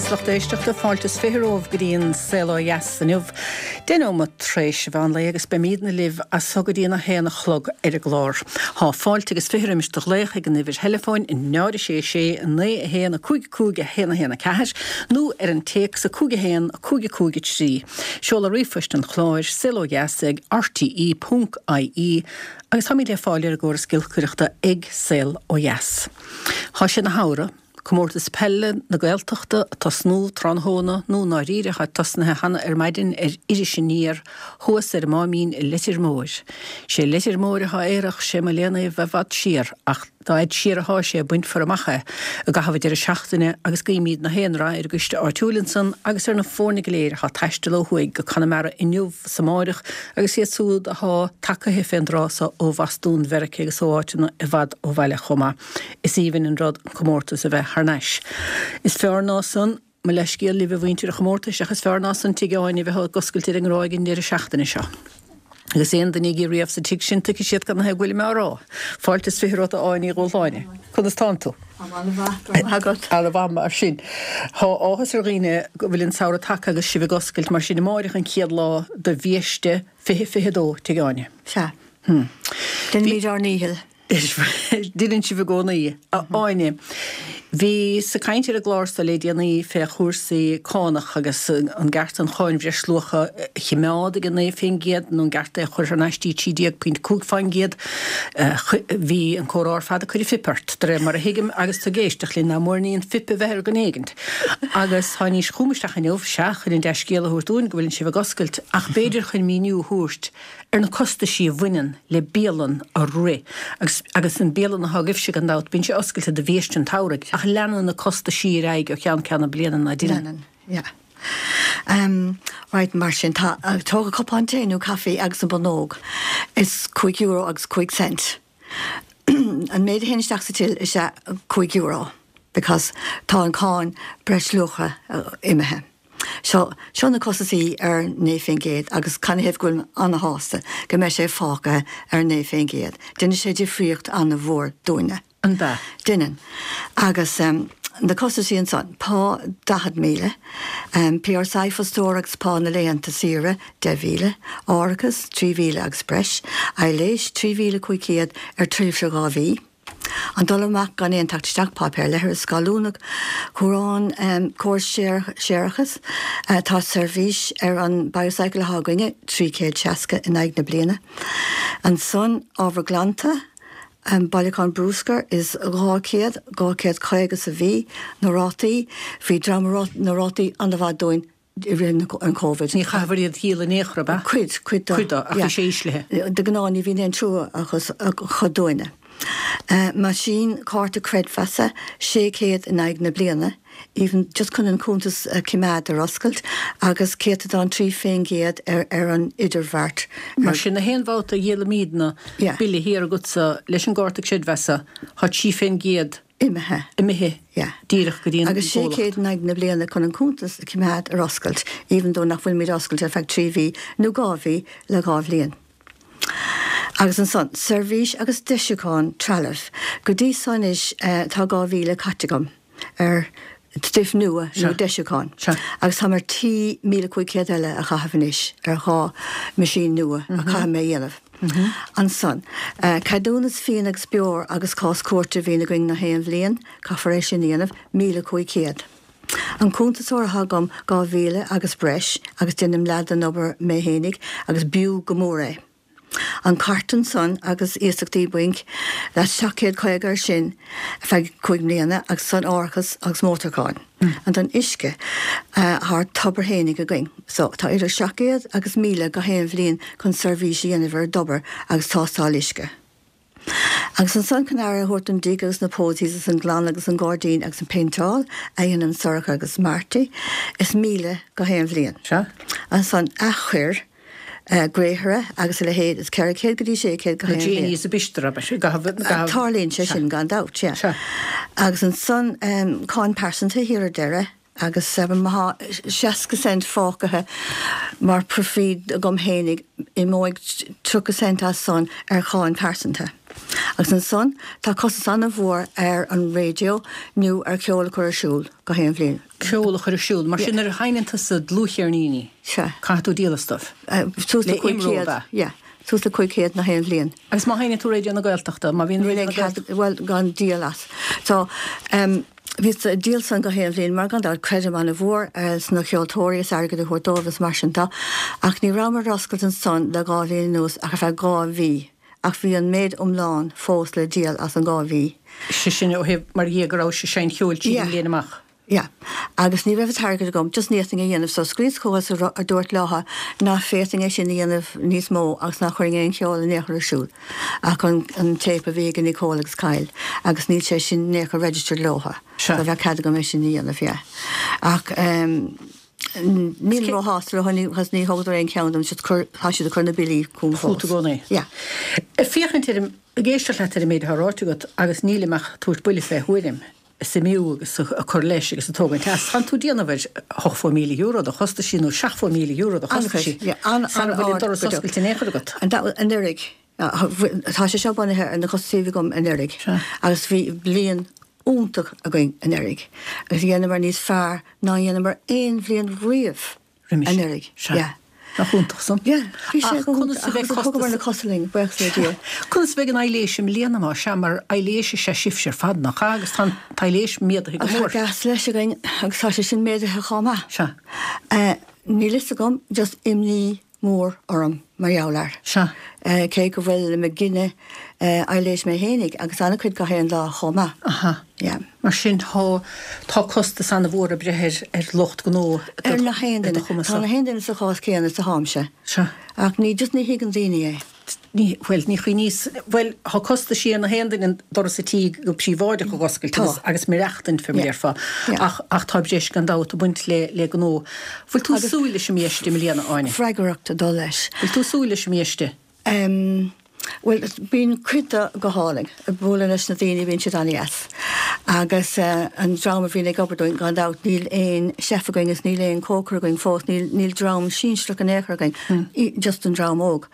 is lucht éisteachta, fáilte is 20 romhaibh go dtí an Saol Ó Dheas inniu. 10 nóiméad tar éis an mheán lae agus beimídne libh as so go dtí an 1 a chlog ar an gclár. Thá fáilte agus 20 roimis do ghlaoch ag an uimhir theileafóin 0 6 6 9 1 5 5 1 1 4 nó ar an téacs 5 1 5 5 3. Seoladh ríomhphoist an chláir, saolodheas ag rte ponc ie agus táimid le fáil ar an gcóras giolcaireachta ag Saol Ó Dheas. Thá sé 'na shamhradh. Comórtas Peile na Gaeltachta ag tosnú tráthnóna, nó i ndáiríre thá tosnaithe cheana ar maidin ar Iris Aniar thuas ar an Máimín i Leitir Móir. Sé Leitir Móir athá aerach, sé mo léan é a bheith i bhfad siar, ach dá fhaid siar athá sé bainfear amach é i gcaitheamh an deireadh seachtaine agus guímíd na haon rath ar an gcoiste áitiúil ansan agus ar na foirne go léir athá ag taisteal ó thuaidh go Conamara inniu 's amáireach agus iad súd athá tacaithe fén dtráth so ó Bhostún Mheirice agus ó áiteanna i bhfad ó bhaile chomh maith. Is aoibhinn an rud an comórtas a bheith thar n-ais. Is fearr ná san, mo leithscéal libh a mhuintir an chomórtais, ach is fearr ná san Tigh Áine a bheith ag oscailt ar an nGráig an deireadh seachtaine seo. Agus aon duine a bhí riamh sa tigh sin tuigfidh siad cad 'na thaobh go bhfuilim á rá. Fáilte is 20 romhat a Áine Uí Dhúshláine. Conas tánn tú? An-mhaith, go raibh maith agat. An-mhaith mar sin. Thá áthas ar dhaoine go bhfuil an samhradh tagtha agus sibh ag oscailt, mar sin amáireach an chéad lá do bhiaiste 2022 Tigh Áine. Sea. Déanaimid ár ndícheall. Deineann sibh i gcónaí. A Áine, bhíos ag caint ar an gclár so le déanaí fé chúrsaí cánach agus an gceart an cháin bhreisluacha a chimeád ag an 9% nó an gceart é a chur thar n-ais dtí 13.5%. Bhí an comhrá ar fad ag cur an phip ort, de réir mar a thuigim, agus tú ag éisteacht linn, nach mór ní an phip a bheith ar dhuine éigint. Agus tháinís chugam isteach inniu, sea, chun an dea-scéal a thabhairt dúinn go bhfuileann sibh ag oscailt, ach b'fhéidir chun míniú a thabhairt ar na costaisí a bhaineann le bialann a rith agus agus an bialann athá agaibhse gan dabht, bíonn sé oscailte do bhiaiste an tsamhraidh ach leanann na costaisí ar aghaidh ó cheann ceann na bliana, ná deineann? Leanann, yeah. Umm, right, mar sin, tá, tóg cupán tae nó caife agus an bonnóg, is €5 agus 5 cent. An méid a théann isteach sa till is ea €5 because tá an cáin breisluacha imithe. So, seo na costasaí ar 9% agus canathaobh go bhfuilim ana-shásta go mbeidh sé fágtha ar 9%. Déanfaidh sé difríocht ana-mhór dúinne. An ea? Déanann. Agus na costasaí ansan, pá 40,000, PRSI fostóra agus pá na laethanta saoire 10,000, árachas 3,000 agus breis, aibhléis 3,500 ar tréimhse 2 mhí. An dul amach gan aon teacht isteach, páipéar leithris, scáiliúnach, cumhrán, córas séarachais, tá seirbhís ar an Biocycle atá againne, 360 in aghaidh na bliana. Ansan, ábhar glanta, bailiúchán brúscair is 200, 250 sa mhí, na rátaí, bhí dream na rátaí an-mhaith dúinn, i rith an Covid. Ní chaithfear iad a dhíol in aon chor, ab ea? Cuid, cuid dó. Cuid dó, ach bhí sé íslithe. De ghnáth ní bhíonn aon trua acu dúinne. Meaisín cárta creidmheasa, 600 in aghaidh na bliana, even just chun an cuntas a choimeád ar oscailt, agus céatadán 3% ar ar an idirbheart. Mar sin, na haon bhabhta a dhíolaimídne bille thiar agatsa leis an gcárta creidmheasa, thá 3%. Imithe. Imithe. Yeah. Díreach go dtí an Agus 600 in aghaidh na bliana chun an cuntas a choimeád ar oscailt, even though nach bhfuilimid oscailte ar feadh 3 mhí nó 2 mhí le 2 bhliain. Agus ansan, seirbhís agus deisiúchán trealaimh. Go dtí so anois tá 2,000 caite agam ar stuif nua nó deisiúchán. Agus táim ar tí 1,500 eile a chaitheamh anois ar dhá meaisín nua a chaithfidh mé a dhéanamh. Ansan, ceadúnas fíon agus beoir agus cás cúirte a bhíonn againn na haon bhliain, caithfear é sin a dhéanamh, 1,500. An cuntasóir atá agam, 2,000 agus breis, agus déanaim leath den obair mé fhéinig agus b'fhiú go mór é. An cairt ansan agus iasachtaí bainc, that's 750 ar sin ar feadh cúig mbliana agus ansan árachas agus mótarcháin. And an uisce, thá tobar fhéinig againn. So, tá idir 700 agus 1,000 gach aon bhliain chun seirbhís a dhéanamh ar an dtobar agus tástáil uisce. Agus ansan chun aire a thabhairt don dtigh agus na posies agus an glanadh agus an gairdín agus an péinteáil a dhéanann Sorcha agus Marty, is 1,000 gach aon bhliain. Sea. Ansan athchuir, gréithre agus a leithéid is 400 go dtí 600 gach aon bhliain. Na Genies a b'fhiostar, abair, i gcaitheamh, i gcaitheamh. Tarlaíonn sé sin gan dabht, yeah. Sea. Agus ansan cáin pearsanta thiar ar deireadh agus má thá 60 cent fágtha mar profit agam fhéinig, imeoidh 30 cent as san ar cháin pearsanta. Agus ansan tá costas an-mhór ar an raidió nó ar cheol a chur ar siúl gach aon bhliain. Ceol a chur ar siúl. Mar sin nuair a sheinneann tusa dlúthcheirníní, caithfidh tú díol astu. Suas le 500, yeah. Suas le 500 nach aon bhliain. Agus má sheinneann tú Raidió na Gaeltachta, má bhíonn Raidió na Gaeltachta. Bhuel, gan díol as. So, bhíos ag díol san gach aon bhliain mar gan dabht creidim an-mhór sna ceoltóirí is airgead a thabhairt dóibh is mar sin de. Ach ní rabhamar ar oscailt ansan le 2 bhliain anuas ach ar feadh 2 mhí. Ach bhí an méid iomlán fós le díol as an 2 mhí. Sé sin ó thaobh mar dhia go rabhais ag seinnt cheoil tríd an mbliain amach. Yeah. Agus ní raibh an t-airgead agam, just ní fhéadfainn é a dhéanamh, so scríos chucu is a dúirt leotha ná féadfainn é sin a dhéanamh níos mó agus ná chuirfinn aon cheol in aon chor ar siúl ach an an téip a bhí ag Nicole agus Kyle agus níl sé sin in aon chor registered leotha. So bheadh cead agam é sin a dhéanamh, yeah. Ach ehm nílim róshásta leo because ní thugadar aon cheann dom, just cur, tá siad ag cur na billí chugam fós. Fút i gcónaí. Yeah. Ag féachaint ar an, ag éisteacht leat ar an méid atá ráite agat agus nílim ach ag tabhairt buille fé thuairim. suimiú agus ag cur leis agus ag tógaint as. Tánn tú ag déanamh ar €80,000 de chostaisí nó €70,000 de chostaisí sara bhfuil an doras oscailte in aon chor agat. Anuraidh, tá sé seo bunaithe ar na costaisí a bhí agam anuraidh agus bhí bliain iontach againn anuraidh agus dheineamar níos fearr ná dheineamar aon bhliain riamh. roimis. Anuraidh. Sea. Yeah. Nach iontach san? Yeah. Bhí sé Ach conas a bheidh costas. Thugamar na cosa linn, buíochas le Dia. Conas a bheidh an aibhléis i mbliana má sea, mar aibhléis is ea sibhse ar fad, nach ea? Agus tá an t-aibhléis méadaithe go mór. Tá gas leis againn agus tá sé sin méadaithe chomh maith. Sea. Níl fhios agam, just imní mór orm mar gheall air. Sea. Cé go bhfuilim ag gineadh aibhléis mé fhéinig agus an-chuid gach aon lá chomh maith. Aha. Yeah. Mar sin tá, tá costas an-mhór ag breith ar, ar lucht gnó i do, Ar nach aon i do duine. chumas-sa. Tá nach aon duine sa chás céanna is atáimse. Sea. Ach ní, just ní thuigeann daoine é. Ní, bhuel, ní chuimhníos, bhuel, tá costaisí ar nach aon duine an doras a tí go príobháideach a dh'oscailt Tá. agus, agus maireachtaint fé mar Yeah. déarfá. Yeah. Ach, ach tá breis gan dabht ag baint le, le gnó. Bhfuil tú ag Agus súil leis an mbiaiste i mbliana, Áine? freagracht ag dul leis. Bhfuil tú ag súil leis an mbiaiste? Em, bhuel, bíonn cuid de go hálainn. Ag bualadh leis na daoine, bíonn siad an-dheas. Agus eh, an dream a bhíonn ag obair dúinn, gan dabht, níl aon chef againn is níl aon cócaire againn fós, níl, níl dream sinsearach in aon chor againn, just an dream óg.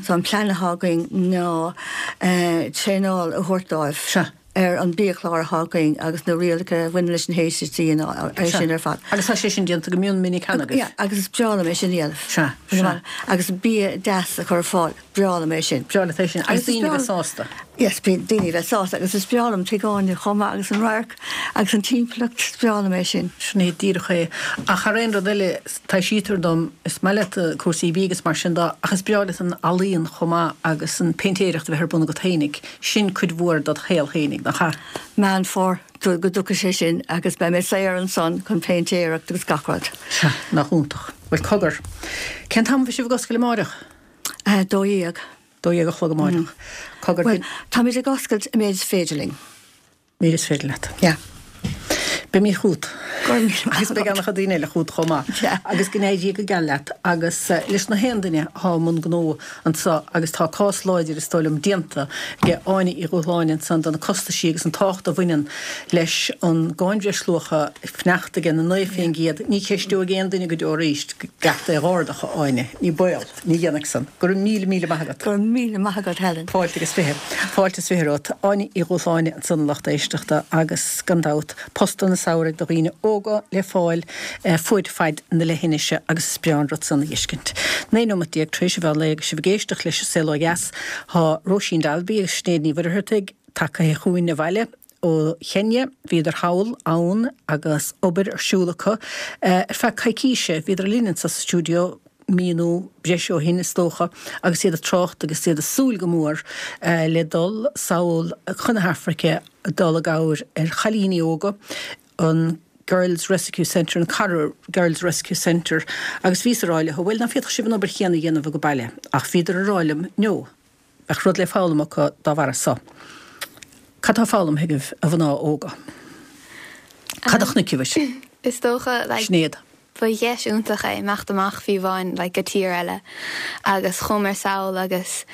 So an plean atá againn ná eh, traenáil a thabhairt dóibh. Sea. ar an biachlár atá againn agus na rialacha a bhaineann leis an HSE é sin ar fad. Agus tá sé sin déanta go mion minic cheana agaibh? Yeah, agus is breá liom é sin a dhéanamh. Sea, sea. Agus bia deas a chur ar fáil, breá liom é sin. Breá leat é sin. Agus daoine a bheith sásta. Yes, bíonn daoine a bheith sásta agus is breá liom Tigh Áine chomh maith agus an radharc agus an timpeallacht, is breá liom é sin. Sin é díreach é. Ach thar aon rud eile, taibhsítear dom, is maith leat cúrsaí bídh agus mar sin de, ach is breá leat an ealaíon chomh maith agus an péintéireacht a bheith ar bun agat fhéinig. Sin cuid mhór dod shaol fhéinig, nach ea? Meán Fómhair go dtiocfaidh sé sin agus beidh mé saor ansan chun péintéireacht agus gach rud. Sea, nach iontach. Bhuel, cogar. Cén t-am a bheidh sibh ag oscailt amáireach? 12. 12 a chlog amáireach. Cogar. Bhuel, táimid ag oscailt an méid is féidir linn. Méid is féidir leat. Yeah. Beimid chugat. Go raibh míle maith Agus beidh agat. an-chuid daoine eile chugat chomh maith. Yeah. Agus go n-éirí go geal leat agus leis na haon duine atá i mbun gnó anso agus tá cás láidir is dóigh liom déanta ag Áine Uí Dhúshláine ansan do na costaisí agus an tábhacht a bhaineann leis an gcáin bhreisluacha fanacht ag an 9%. Ní cheisteoidh aon duine go deo arís go gceart é dh'ardach, a Áine. Ní baol. Ní dhéanfaidh san. Go raibh míle, míle maith agat. Go raibh míle maith agat, Helen. Fáilte agus fiche. Fáilte is fiche romhat. Áine Uí Dhúshláine ansan a lucht éisteachta agus, gan dabht, postanna samhraidh do dhaoine óga le fáil fuaid faid na leithinise agus is breá an rud san a dh'fheiscint. 19 nóimeat tar éis an mheán lae agus sibh ag éisteacht leis an Saol Ó Dheas. Tá Róisín Dalby agus Sinéad Ní Mhuircheartaigh tagtha chugainn abhaile ó Chenia. Bhíodar thall ann agus obair ar siúl acu ar feadh coicíse. Bhíodar linn anso sa stiúideo mí nó breis ó shin is dócha agus iad ag trácht agus iad ag súil go mór le dul sall chun na hAfraice dul i gcabhair ar chailíní óga an Girls Rescue Centre, an Cara Girls Rescue Centre agus bhíos ag rá leo bhuel ná féadfadh sibh an obair chéanna a dhéanamh age baile ach bhíodar ag rá liom no, bheadh rud le foghlaim acu dá bharra so. Cad tá foghlamtha agaibh a mhná óga? Cad a chonaic sibh? Is dócha like Sinéad. Ba dheis iontach é imeacht amach fiú amháin like go tír eile agus chuamar sall agus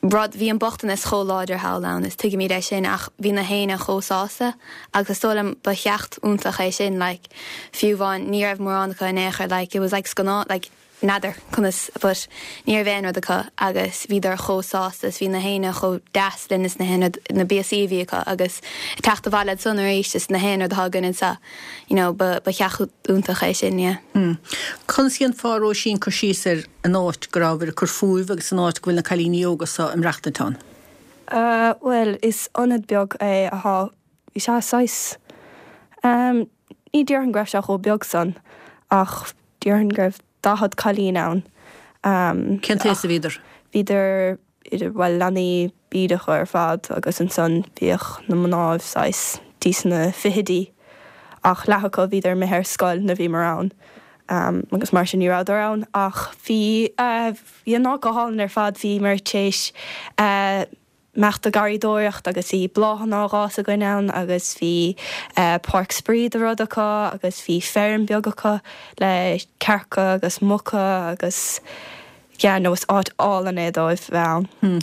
rud, bhí an bochtanas chomh láidir thall ann is tuigimid é sin ach bhí na héinne chomh sásta agus is dóigh liom ba cheacht iontach é sin like fiú amháin ní raibh mórán acu in aon chor like it was like scannán like. N'fheadar conas but ní raibh aon rud acu agus bhíodar chomh sásta is bhí na héinne chomh deas linn is na haon rud, na píosaí a bhí acu agus ag teacht abhaile ansan arís is na haon rud atá againn anseo, you know, ba, ba theach iontach é sin, yeah. Hmm. Conas a dhéanfá, a Róisín, cur síos ar an áit go rabhabhair ag cur fúibh agus an áit go bhfuil na cailíní óga so ag maireachtaint ann? Uh, bhuel, is ionad beag é athá, bhí sé saghas, um, ní déarfainn go raibh sé chomh beag san ach Déarfainn go raibh 40 cailín ann. Cén t-aos a bhíodar? Bhíodar idir, bhuel, leanaí bídeacha ar fad agus ansan bhíodh na mnáibh saghas dtí sna fichidí ach leath acu bhíodar imithe ar scoil nuair a bhíomar ann agus mar sin ní rabhadar ann ach bhí, bhí an áit go hálainn ar fad, bhíomar tar éis imeacht ag garraíodóireacht agus bhí bláthanna á dh'fhás againn ann agus bhí páirc spraoi de rud acu agus bhí feirm beag acu le cearca agus muca agus yeah no is áit álainn é dóibh bheith ann. Hmm.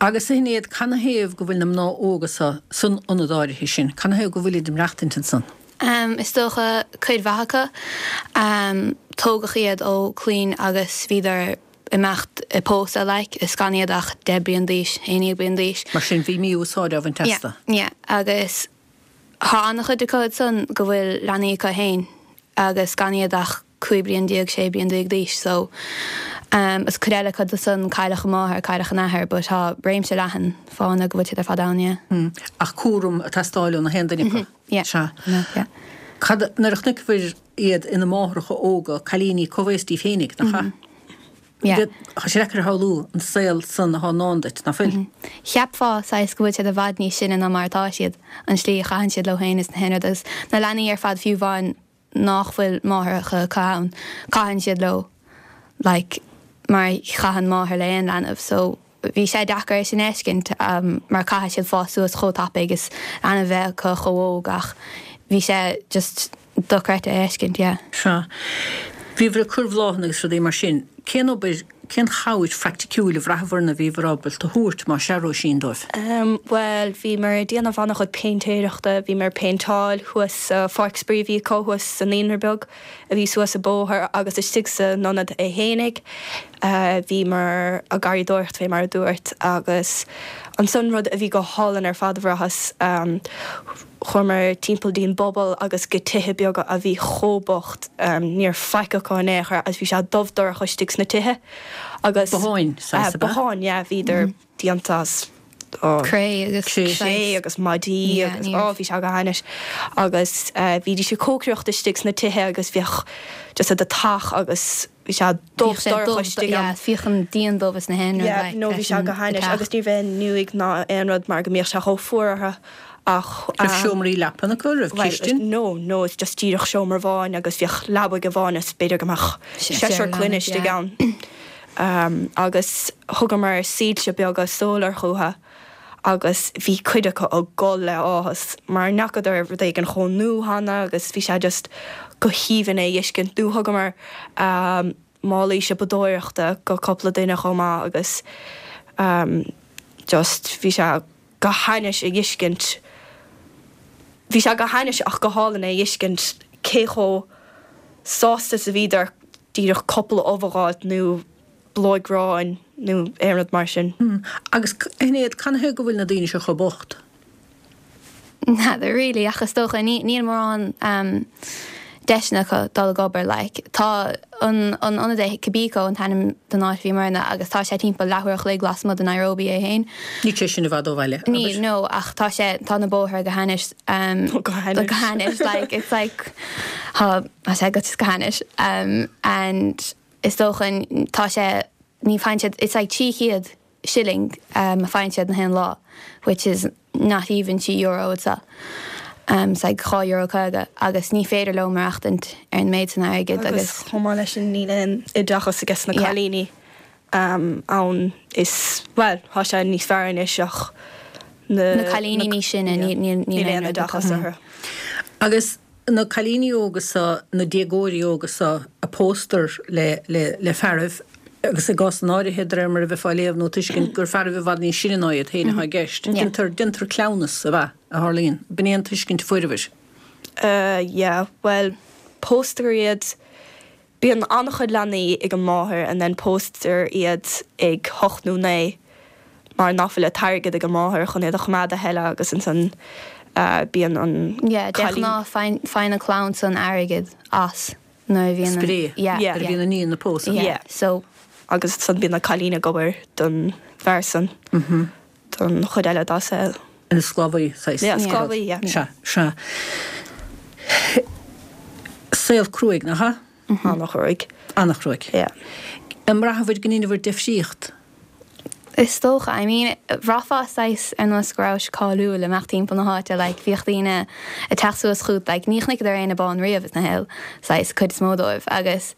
Agus a Shinéad, canathaobh go bhfuil na mná óga so san ionad áirithe sin? Canathaobh go bhfuilid ag maireachtaint ansan? Is dócha cuid mhaith acu. Tógadh iad ó clainn agus bhíodar imeacht ag pósadh like is gan iad ach 10 bliain d'aois, 11 bliain d'aois. Mar sin bhí mí-úsáid á bhaint astu. Yeah, yeah agus thá an-chuid acu ansan go bhfuil leanaí acu fhéin agus gan iad ach 15 bliain, 16 bliain d'aois so um is cuid eile acu san cailleadh an máthair, cailleadh an athair but thá réimse leathan fáthanna go bhfuil siad ar fad ann, yeah. Hmm. Ach cúram ag teastáil ó na haon duine acu. Yeah. Sea. Yeah. Cad, nuair a chonaiceabhair iad ina máithreacha óga, cailíní comhaos díbh fhéinig, nach ea? Yeah. Tá sé deacair a shamhlú an saol san athá i ndán duit, ná fuil? Cheapfá, saghas, go bhfuil siad i bhfad níos sine ná mar atá siad, an tslí a chaitheann siad leo féin is na haon rud agus na leanaí ar fad fiú amháin nách bhfuil máithreacha acu ann, caitheann siad leo like mar a chaitheann máthair le aon leanbh so bhí sé deacair é sin a fheiscint mar caithfidh siad fás suas chomh tapaidh agus leanbh a bheith acu chomh óg ach bhí sé just dochreidte a fheiscint, yeah. Sea. Bhíobhair ag cur bhláthanna agus rudaí mar sin. Cén obair, cén chabhair phraiticiúil a bhraitheabhair nó a bhíobhair ábalta a thabhairt, más ea, Róisín, dóibh? Bhuel, bhíomar ag déanamh an-chuid péintéireachta, bhíomar ag péinteáil thuas sa pháirc spraoi a bhí acu thuas sa naíonra beag a bhí suas an bóthar agus istigh san ionad é fhéinig. Bhíomar ag garraíodóireacht fé mar a dúrt agus ansan rud a bhí go hálainn ar fad a bhraitheas, Chuamar timpeall dtí'n bpobal agus go tithe beaga a bhí chomh bocht, ní raibh faic acu in aon chor agus bhí sé dubh dorcha istigh sna tithe agus. Botháin, saghas, ab ea? Botháin, yeah, bhíodar déanta as, oh. Cré agus cré agus maidí agus, oh, bhí sé go hainnis. Agus bhídís ag cócaireacht istigh sna tithe agus bhíodh just an deatach agus bhí sé dubh dorcha istigh ann. Bhíodh an díon dubh is na haon rud like no bhí sé go hainnis agus ní raibh aon fhuinneoig ná aon rud mar go mbíodh sé chomh fuar orthu ach. Raibh seomraí leapan acu, raibh cistin? No, no, it's just díreach seomra amháin agus bhíodh leabaidh amháin is b'fhéidir go mbeadh seisear clainne istigh ann. Agus thugamar soilse beaga solar chucu. agus bhí cuid acu ag gol le áthas mar n'fheacadar rud éigin chomh nua cheana agus bhí sé just go haoibhinn é a fheiscint. Do thugamar málaí siopadóireachta go cúpla duine chomh maith agus just bhí sé go hainnis a fheiscint, bhí sé go hainnis ach go hálainn é a fheiscint cé chomh sásta is a bhíodar díreach cúpla ubh a dh'fháilt nó blogh gráin nó aon rud mar sin. Agus, a Shinéad, canathaobh go bhfuil na daoine seo chomh bocht? N'fheadar really, ach is dócha, níl mórán deiseanna acu dul ag obair, like. Tá an an ionad é, Kibiko an t-ainm don áit a bhíomar ann agus tá sé timpeall leathuair a chloig lasmuigh de Nairobi é féin. Níl sé sin i bhfad ó bhaile, abair? Níl, no, ach tá sé, tá na bóithre go hainnis, Go hainnis. Go hainnis, like, it's like, tá sé go go hainnis. And. Is dócha, tá sé, ní faigheann siad, it's like 300 shilling a faigheann siad na haon lá, which is not even €3 anseo. It's like €2.50 agus ní féidir leo maireachtaint ar an méid san airgid agus. Agus chomh maith leis sin níl aon oideachas aige na cailíní ann is, bhuel, tá sé níos fearr anois ach na. Na cailíní níos sine, níl aon oideachas orthu. Agus na cailíní óga so, na déagóirí óga so a póstar le, le, le fearaibh, agus i gcásanna áirithe, de réir mar a bheifeá ag léamh nó ag tuiscint, gur fearaibh i bhfad níos sine ná iad féin atá i gceist. Déantar, déantar cleamhnas, ab ea, a tharlaíonn. B'in é an tuiscint a fuaireabhair. Yeah, bhuel, póstar iad. Bíonn an-chuid leanaí ag an máthair and then póstar iad ag hocht nó naoi mar nach bhfuil an t-airgead ag an máthair chun iad a choimeád a thuilleadh agus ansan bíonn an Yeah, de cailín. ghnáth faigheann an clann san airgead as nuair a bhíonn an. Spré. Yeah. Nuair a bhíonn an iníon á pósadh. Yeah. So. Agus ansan bíonn an cailín ag obair don bhfear san don chuid eile dá saol. Ina sclábhaí, saghas. Yeah, sclábhaí, yeah. Sea, sea. Saol cruaidh, nach ea? An-chruaidh. An-chruaidh. Yeah. An mbraitheabhair go ndeineabhair deifríocht? Is dócha. I mean, bhraithfeá saghas ar nós go rabhais cáiliúil imeacht timpeall na háite, like, bhíodh daoine ag teacht suas chút, like, ní chonaiceadar éinne bán riamh ina shaol, saghas, cuid is mó dóibh, agus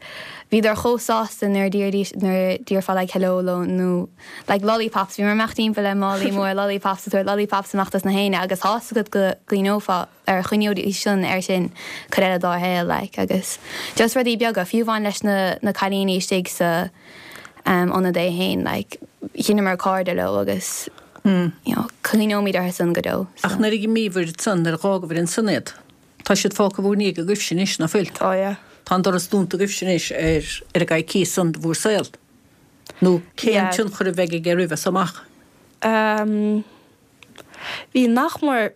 bhíodar chomh sásta nuair a d'iarraidís, nuair a d'iarrfá like hello leo nó like lollipops, bhíomar imeacht timpeall le málaí mór lollipops ag tabhairt lollipops amach dos na héinne agus tá's agat go gcuimhneofá ar chuimhneoidís san air sin cuid eile dá shaol like agus just rudaí beaga, fiú amháin leis na na cailíní istigh sa um ionad é fhéin like dheineamar cairde leo agus you know cuimhneoimid orthu san go deo so. Ach nuair a dh'imíobhair ansan, nuair a dh'fhágabhair ansan iad, tá siad fágtha bhúr ndiaidh agaibhse anois, ná fuil? Tá, yeah. Tá an doras dúnta agaibhse anois ar ar an gcoicíos san de bhúr saol. Nó cén tionchar a bheidh aige oraibh as so amach? Um bhí nach mór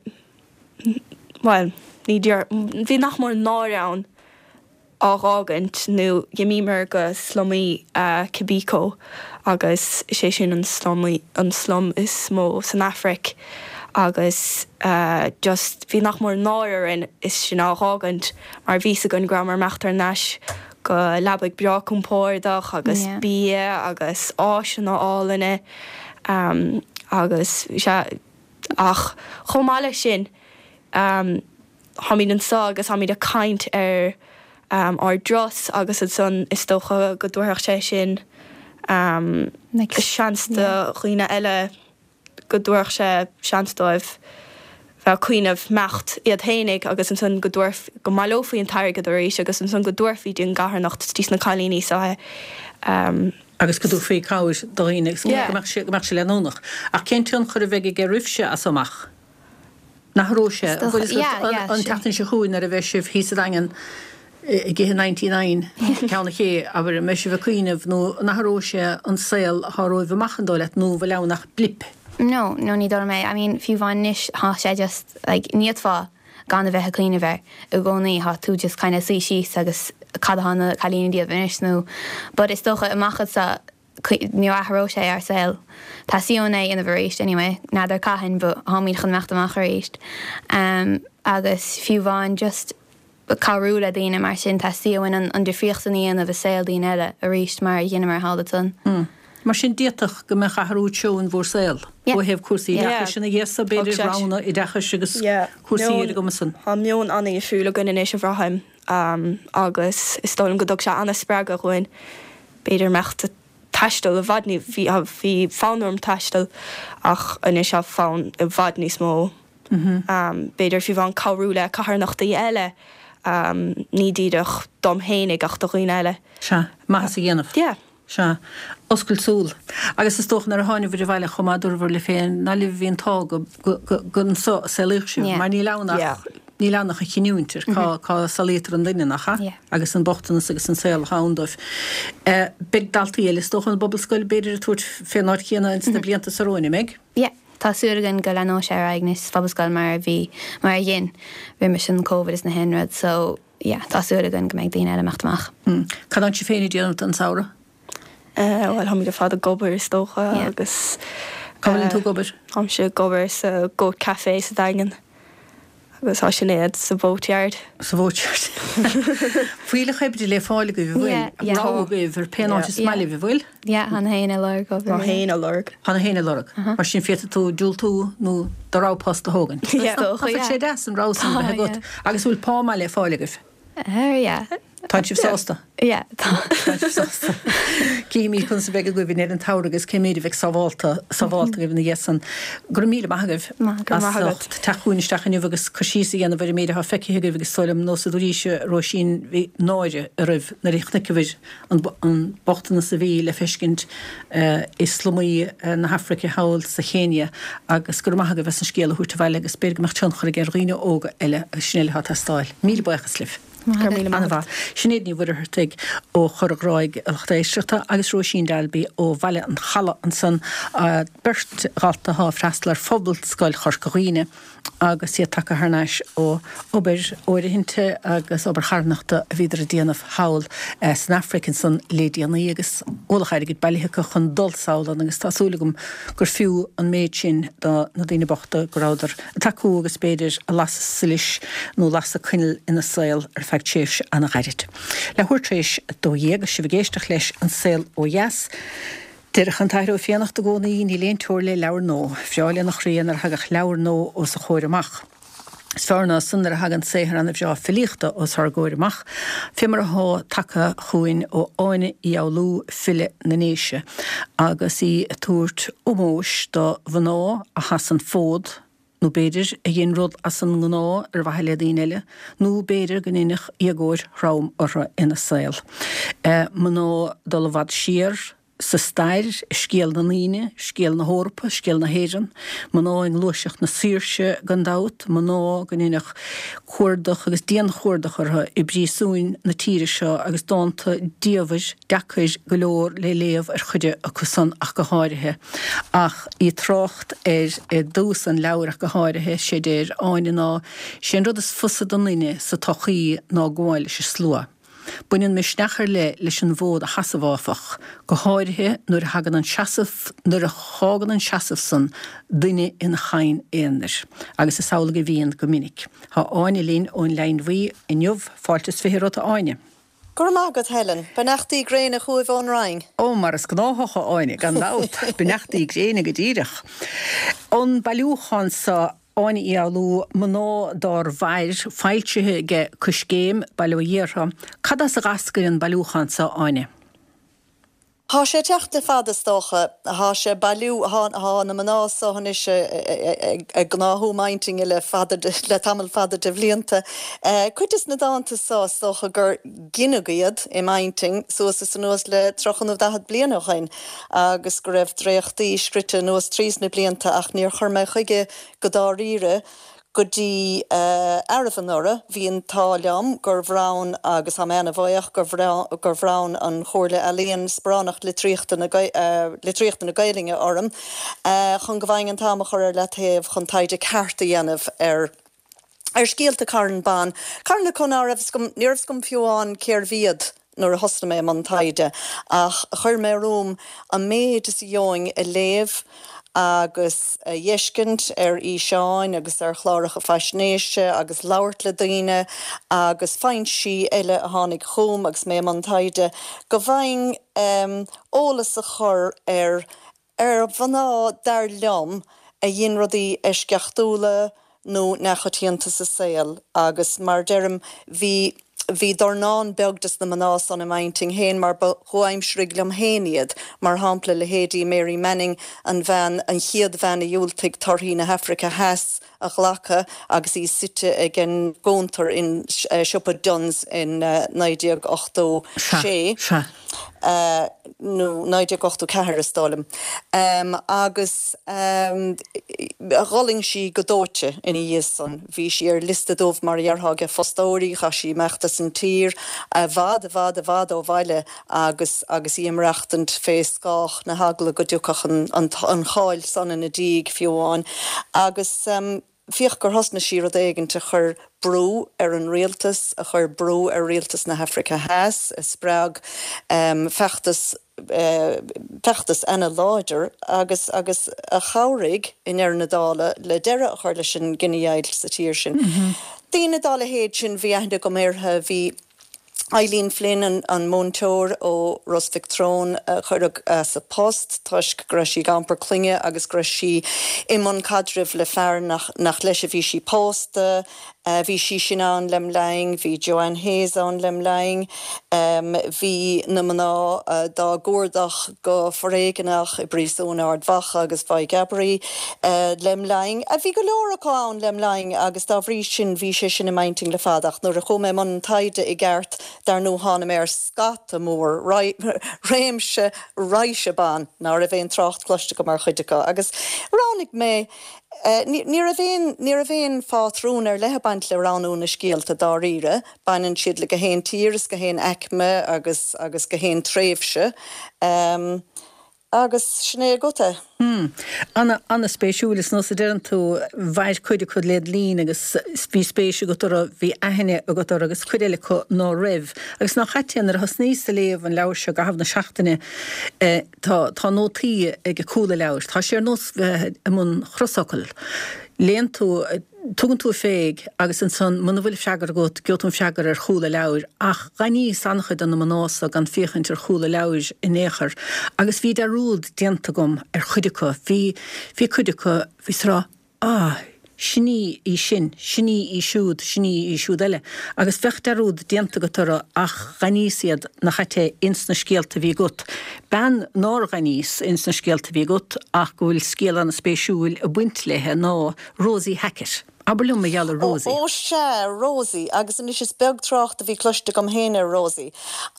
bhuel, ní dear, bhí nach mór náire ann á dh'fhágaint nó dh'imíomar go slumaí Kibiko agus is é sin an slumaí, an slum is mó san Afraic agus just bhí nach mór náire orainn is sinn á dh'fhágaint mar bhí 's againn go rabhamar imeacht thar n-ais go leabaidh breá compordach agus bia agus áiseanna álainne agus sea Ach chomh maith leis sin, táimid anseo agus táimid ag caint ar ár dturas agus ansan is dócha go dtabharfadh sé sin seans do dhaoine eile, go dtabharfadh sé seans dóibh bheith ag cuimhneamh imeacht iad fhéinig agus ansan go dtabharf, go mbaileofaí an t-airgead arís agus ansan go dtabharfaí dtí'n gcarthanacht, dtí sna cailíní seo é. agus go dtabharfaí cabhair do dhaoine agus go mbeadh sé, go mbeadh sé leanúnach. Ach cén tionchar a bheidh aige oraibhse as so amach? An athróidh sé? An bhfuil fhios agat an tseachtain seo chugainn nuair a bheidh sibh thíos sa Daingean ag ithe 99 Ceann an Ché, abair, an mbeidh sibh ag cuimhneamh nó an athróidh sé an saol atá romhaibh amach an dóigh leat nó an bhfuil ann ach blip? No, no ní dóigh liom é. I mean fiú amháin anois tá sé just like ní fhéadfá gan a bheith ag cuimhneamh air i gcónaí, tá tú just kind of suí síos agus cad atá na cailíní ag déanamh anois nó but is dócha amach anseo ní athróidh sé ár saol. Tá sé a dhéanamh arís anyway, n'fheadar cathain but táimid chun imeacht amach arís. Um, agus fiú amháin just cabhrú le daoine mar sin tá sé uainn an, an difríocht san a dhéanamh i saol daoine eile arís mar a dheineamar thall ansan. Mm. Mar sin d'fhéadfadh go mbeadh athrú treo in bhur saol ó thaobh cúrsaí oideachais ina dhiaidh so, b'fhéidir roghanna oideachais agus cúrsaí ar an gcuma san. Tá meon an-dhifriúil againn anois a bhraithim agus is dóigh liom go dtug sé an-spreagadh dhúinn b'fhéidir imeacht ag taisteal i bhfad ní bhí bhí fonn orm taisteal ach anois tá fonn i bhfad níos mó b'fhéidir fiú amháin cabhrú le carthanachtaí eile ní díreach dom fhéinig ach do dhaoine eile. Sea, maitheas a dhéanamh. Yeah. Sea. Oscailt súl. Agus is dócha nuair a tháinabhair abhaile chomh maith dúrabhair libh féin nach libh a bhí an t-ádh go, go, go, go anso a saolaíodh sibh, mar níl ann ach, níl ann ach an chinniúint ar cá, cá saolaítear an duine, nach ea? Agus an bochtanas agus an saol atá ann dóibh. Beidh daltaí eile is dócha ón bPobalscoil b'fhéidir ag tabhairt fén áit chéanna ins na blianta so romhainn, an mbeidh? Yeah. Tá súil againn go leanóidh sé ar aghaidh anois sa Phobalscoil mar a bhí, mar a dhein roimis an Covid is na haon rud so, yeah, tá súil againn go mbeidh daoine eile imeacht amach. Cad tánn sibh féin ag déanamh don samhradh? Eh, bhuel, táimid ar fad ag obair is dócha agus. Cá bhfuileann tú ag obair? Táimse ag obair sa Goat Café sa Daingean agus tá Sinéad sa Boatyard. Sa Boatyard. Fuílleach oibre le fáil agaibh, an bhfuil? Yeah, yeah. Rogha agaibh ar pén áit is maith libh, an bhfuil? Yeah, tá na héinne ag lorg obair. Tá na héinne ag lorg. Tá na héinne ag lorg. Mar sin féadfaidh tú diúltú nó do rogha post a thógaint. Is dócha, yeah. Tá sé deas an rogha san a bheith agat. Agus bhfuil pá maith le fáil agaibh? Uh, yeah. Tá sibh sásta? Yeah, tá. Tá sibh sásta. Cífimid conas a bheidh agaibh in ar an tsamhradh agus cé méid a bheidh sábhálta, sábhálta agaibh ina dhiaidh san. Go raibh míle maith agaibh as ucht teacht chugainn isteach inniu agus cur síos a dhéanamh ar an méid atá feicthe agaibh agus is dóigh liom nós a dúraís a Róisín bhí náire oraibh nuair a chonaiceabhair an bochtanas a bhí le feiscint i slumaí na hAfraice thall sa Chéinia agus go raibh maith agaibh as an scéal a thabhairt abhaile agus b'fhéidir go mbeadh tionchar aige ar dhaoine óga eile agus sin uile atá ag teastáil. Míle buíochas libh. Go raibh míle maith agat. Sinéad Ní Mhuircheartaigh ó Chorr an Ghráig, a lucht éisteachta, agus Róisín Dalby ó Bhaile an Chalaidh ansan, beirt dhalta atá ag freastal ar Phobalscoil Chorca Dhuibhne agus iad tagtha thar n-ais ó obair fhóirithinte agus obair charthanachta a bhíodar a déanamh thall san Afraic ansan le déanaí agus ualach airgid bailithe acu chun dul sall ann agus tá súil agam gur fiú an méid sin do na daoine bochta go rabhadar ag tacú agus b'fhéidir ag lasadh solais nó lasadh coinneal ina saol ar feadh tréimhse an-ghairid. Leathuair tar éis 12 agus sibh ag éisteacht leis An Saol Ó Dheas. Deireadh an tAthair Ó Fiannachta i gcónaí, níl aon teora le leabhar nua. Bhreá lena chroí nuair a thagadh leabhar nua os a chomhair amach. Is fearr ná san nuair a thagann saothar ana-bhreá filíochta os ár gcomhair amach, fé mar athá tagtha chugainn ó Áine Uí Fhoghlú, file na nDéise, agus í ag tabhairt ómóis do mhná a sheas an fód, nó b'fhéidir a dhein rud as an ngnáth ar mhaithe le daoine eile, nó b'fhéidir go ndeineadh éagóir throm orthu ina saol. Mná dul i bhfad siar sa stair, i scéal na ndaoine, scéal na hEorpa, scéal na hÉireann, mná i ngluaiseacht na saoirse gan dabht, mná go ndeineadh cuardach agus dianchuardach orthu i bpríosúin na tíre seo agus dánta diamhair, deacair go leor le léamh ar chuid acu san ach go háirithe. Ach í ag trácht air i dtús an leabhair ach go háirithe, sé deir Áine ná, 'Sé an rud is fusa don duine sa tsochaí ná gabháil leis an slua. Baineann misneach ar leith leis an bhfód a sheasamh áfach, go háirithe nuair a thagann an seasamh, nuair a fhágann an seasamh san duine ina chadhain aonair, agus is amhlaidh a bhíonn go minic. Tá Áine linn ón Leidhinn Bhuí inniu, fáilte is 20 romhat a Áine. Go raibh maith agat Helen. Beannachtaí gréine chugaibh ón Rinn. Ó, mar is gnáthach a Áine, gan dabht. Beannachtaí gréine go díreach. An bailiúchán seo Áine Uí Fhoghlú, Mná Dár Mhair, foilsithe aige Coiscéim, Baile Ó Dhiartha. Cad as a dh'eascair an bailiúchán seo, Áine? Thá sé ag teacht le fada, is dócha. Thá sé ag bailiú, thá, thá na mná so anois ag gnáthú m'intinne le fada, le tamall fada de bhlianta. Cuid des na dánta so, is dócha gur gineadh iad i m'intinn suas is anuas le 30 nó 40 bliain ó shoin agus go raibh dréachtaí scrite anuas tríos na blianta ach níor chuir mé chuige go dáiríre go dtí arbh anuraidh. Bhí an t-ádh liom gur bhronn, agus tá mé ana-bhuíoch, gur gur bhronn an Chomhairle Ealaíon Sparánacht Litríochta na Litríochta na Gaelainne orm chun go bhfaighinn an t-am a chur ar leataobh chun taighde ceart a dhéanamh ar ar scéalta carn ban, carn acu ná raibh fhios agam, ní raibh fhios agam fiú amháin cérbh iad nuair a thosnaigh mé i mbun taighde, ach chuir mé romham an méid is a gheobhainn a léamh agus a dh'fheiscint ar fhíseáin agus ar chláracha faisnéise agus labhairt le daoine agus foinsí eile a tháinig chugam agus mé i mbun taighde, go bhfaighinn eolas a chur ar ar mhná, dar liom, a dhein rudaí eisceachtúla nó neamhchoitianta sa saol agus mar deirim, bhí, bhí dornán beag des na mná san i m'intinn féin mar ba chomhaimsirigh liom féin iad, mar shampla leithéidí Mary Manning, an bhean, an chéad bhean a dhiúltaigh torthaí na hAfraice Theas a ghlacadh agus í suite ag an gcuntar in siopa Dunnes in 1986. Sea, sea. nó 1984 is dóigh liom, agus d'fhulaing sí go dóite ina dhiaidh san. Bhí sí ar liosta dubh mar a dhéarfá ag fostóirí, chaith sí imeacht as an tír, i bhfad, i bhfad, i bhfad ó bhaile agus agus í ag maireachtaint fé scáth na heagla go dtiocfadh an an cháil san ina diaidh fiú amháin. Agus. Féach gur thosnaigh sí rud éigint a chuir brú ar an rialtas, a chuir brú ar rialtas na hAfraice Theas, a spreag feachtas, feachtas ana-láidir agus, agus a chabhraigh i ndeireadh na dála le deireadh a chur leis an gcinedheighilt sa tír sin. Daoine dá leithéid sin, bhí aithne agam uirthi, bhí. Eileen Flynn, an múinteoir ó Ros Mhic Treoin a cuireadh as a post toisc go raibh sí ag iompar clainne agus go raibh sí i mbun caidrimh le fear nach leis a bhí sí pósta. Bhí sí sin ann lem linn, bhí Joanne Hayes ann lem linn, bhí na mná dá gcuardach go foréigneach i bpríosúin Ard Mhacha agus Mhaigh gCabraí lem linn. Bhí go leor acu ann lem linn agus dá bhrí sin bhí sé sin i m'intinn le fada ach nuair a chuaigh mé i mbun an taighde i gceart dar ndóigh tháinig mé ar scata mór, réimse, raidhse ban ná raibh aon trácht cloiste agam ar chuid acu agus roghnaigh mé. Ní raibh aon, ní raibh aon phátrún ar leith ag baint le roghnú na scéalta dáiríre, baineann siad le gach aon tír is gach aon aicme agus, agus gach aon tréimhse. Agus sin é agat é. Hmm. Ana, ana-spéisiúil. Is nós a deireann tú, mhair cuid acu led linn agus bhí spéis agat orthu, bhí aithne agat orthu agus cuid eile acu ná raibh. Agus nach ait é, nuair a thosnaíos a léamh an leabhair seo i gcaitheamh na seachtaine, eh, tá, tá nótaí ag cúl an leabhair. Tá sé ar nós bheith i mbun chrosfhocal. Léann tú, Tugann tú féig agus ansan muna bhfuil freagra agat gheobhaidh tú an freagra ar chúl an leabhair ach dh'aithníos an-chuid de na mná so gan féachaint ar chúl an leabhair in aon chor agus bhí dearúd déanta agam ar chuid acu. Bhí, bhí cuid acu, bhíos ag rá ah, sin í í sin, sin í í siúd, sin í í siúd eile agus bheadh dearúd déanta agat orthu ach dh'aithníos iad nach ait é ins na scéalta a bhí agat. Bean nár dh'aithníos ins na scéalta a bhí agat ach go bhfuil scéal an-spéisiúil ag baint léithe ná Rosie Hackett. Abair liom mar gheall ar Rosie. Ó sea, Rosie, agus anois is beag trácht a bhí cloiste agam féin ar Rosie,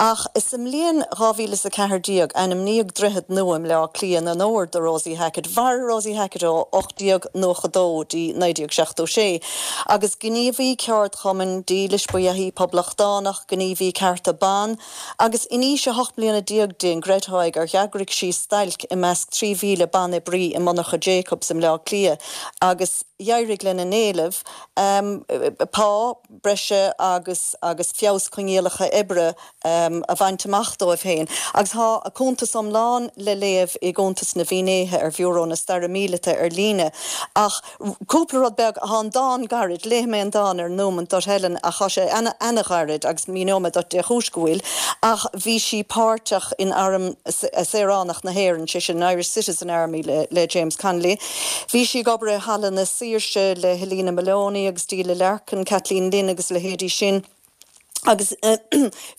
ach sa mbliain 2014 ainmníodh droichead nua i mBleá Cliath in onóir do Rosie Hackett. Mhair Rosie Hackett ó 1892 dtí 1976, agus gníomhaí ceardchumainn, dílis ba ea í, poblachtánach, gníomhaí cearta ban, Agus in aois a hocht mbliana déag di, an gcreidfeá gur eagraigh sí stailc i measc 3,000 ban-oibrí i monarcha Jacobs i mBleá Cliath agus d'éirigh lena n-éileamh pá breise agus agus feabhas coinníollacha oibre a bhaint amach dóibh féin. Agus tá a cuntas iomlán le léamh i gcuntas na bhfinnéithe ar Bhiúró na Staire Míleata ar líne. Ach Cúpla rud beag, tá an dán gairid, léifidh mé an dán ar nóimint duit Helen ach tá sé ana-ghairid agus míneoidh mé duit dé chúis go bhfuil, ach bhí sí páirteach in Arm Saoránach na hÉireann, sé sin an Irish Citizen Army le James Connolly. Bhí sí ag obair i Halla na Saoirse le Helena Molony agus Delia Larkin, Kathleen Lynn agus a leithéidí sin. Agus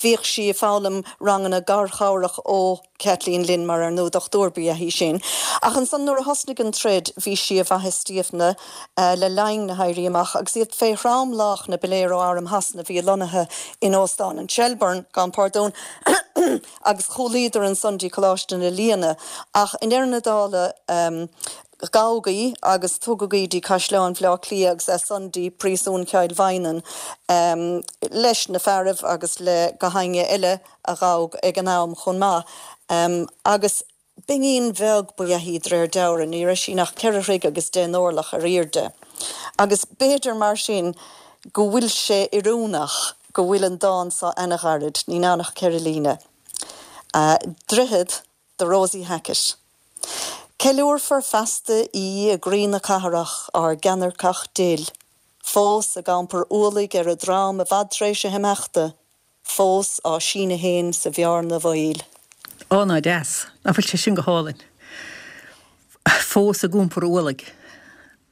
bhíodh sí ag foghlaim ranganna garchabhrach ó Kathleen Lynn mar ar ndóigh dochtúir ba ea í sin. Ach ansan nuair a thosnaigh an troid bhí sí i bhFaiche Stiabhna le linn na hÉirí Amach agus iad fé thromlach na ba léir ó Arm Shasana a bhí lonnaithe in Óstán an Shelbourne, gabhaim pardún, agus chúlaíodar ansan dtí Coláiste na Lianna. Ach i ndeireadh na dála Gabhadh í agus tugadh í dtí Caisleán Bhaile Átha Cliath agus as san dtí Príosún Chill Mhaighneann leis na fearaibh agus le gach éinne eile a gabhadh ag an am chomh maith. Agus b'iníon bheag ba ea í d'réir dealraimh, ní raibh sí ach ceithre throigh agus deich n-orlach ar aoirde. Agus b'fhéidir mar sin go bhfuil sé oiriúnach go bhfuil an dán so ana-ghairid, níl ann ach ceithre líne. Droichead do Rosie Hackett. Ceiliúrfar feasta í i gcroí na cathrach, ár gceannairceach dil, fós ag iompar ualaigh ar a drom i bhfad tar éis a himeachta, fós á síneadh fhéin sa bhearna bhaoil. Ó, ná deas. Nach bhfuil sé sin go hálainn. Fós ag iompar ualaigh.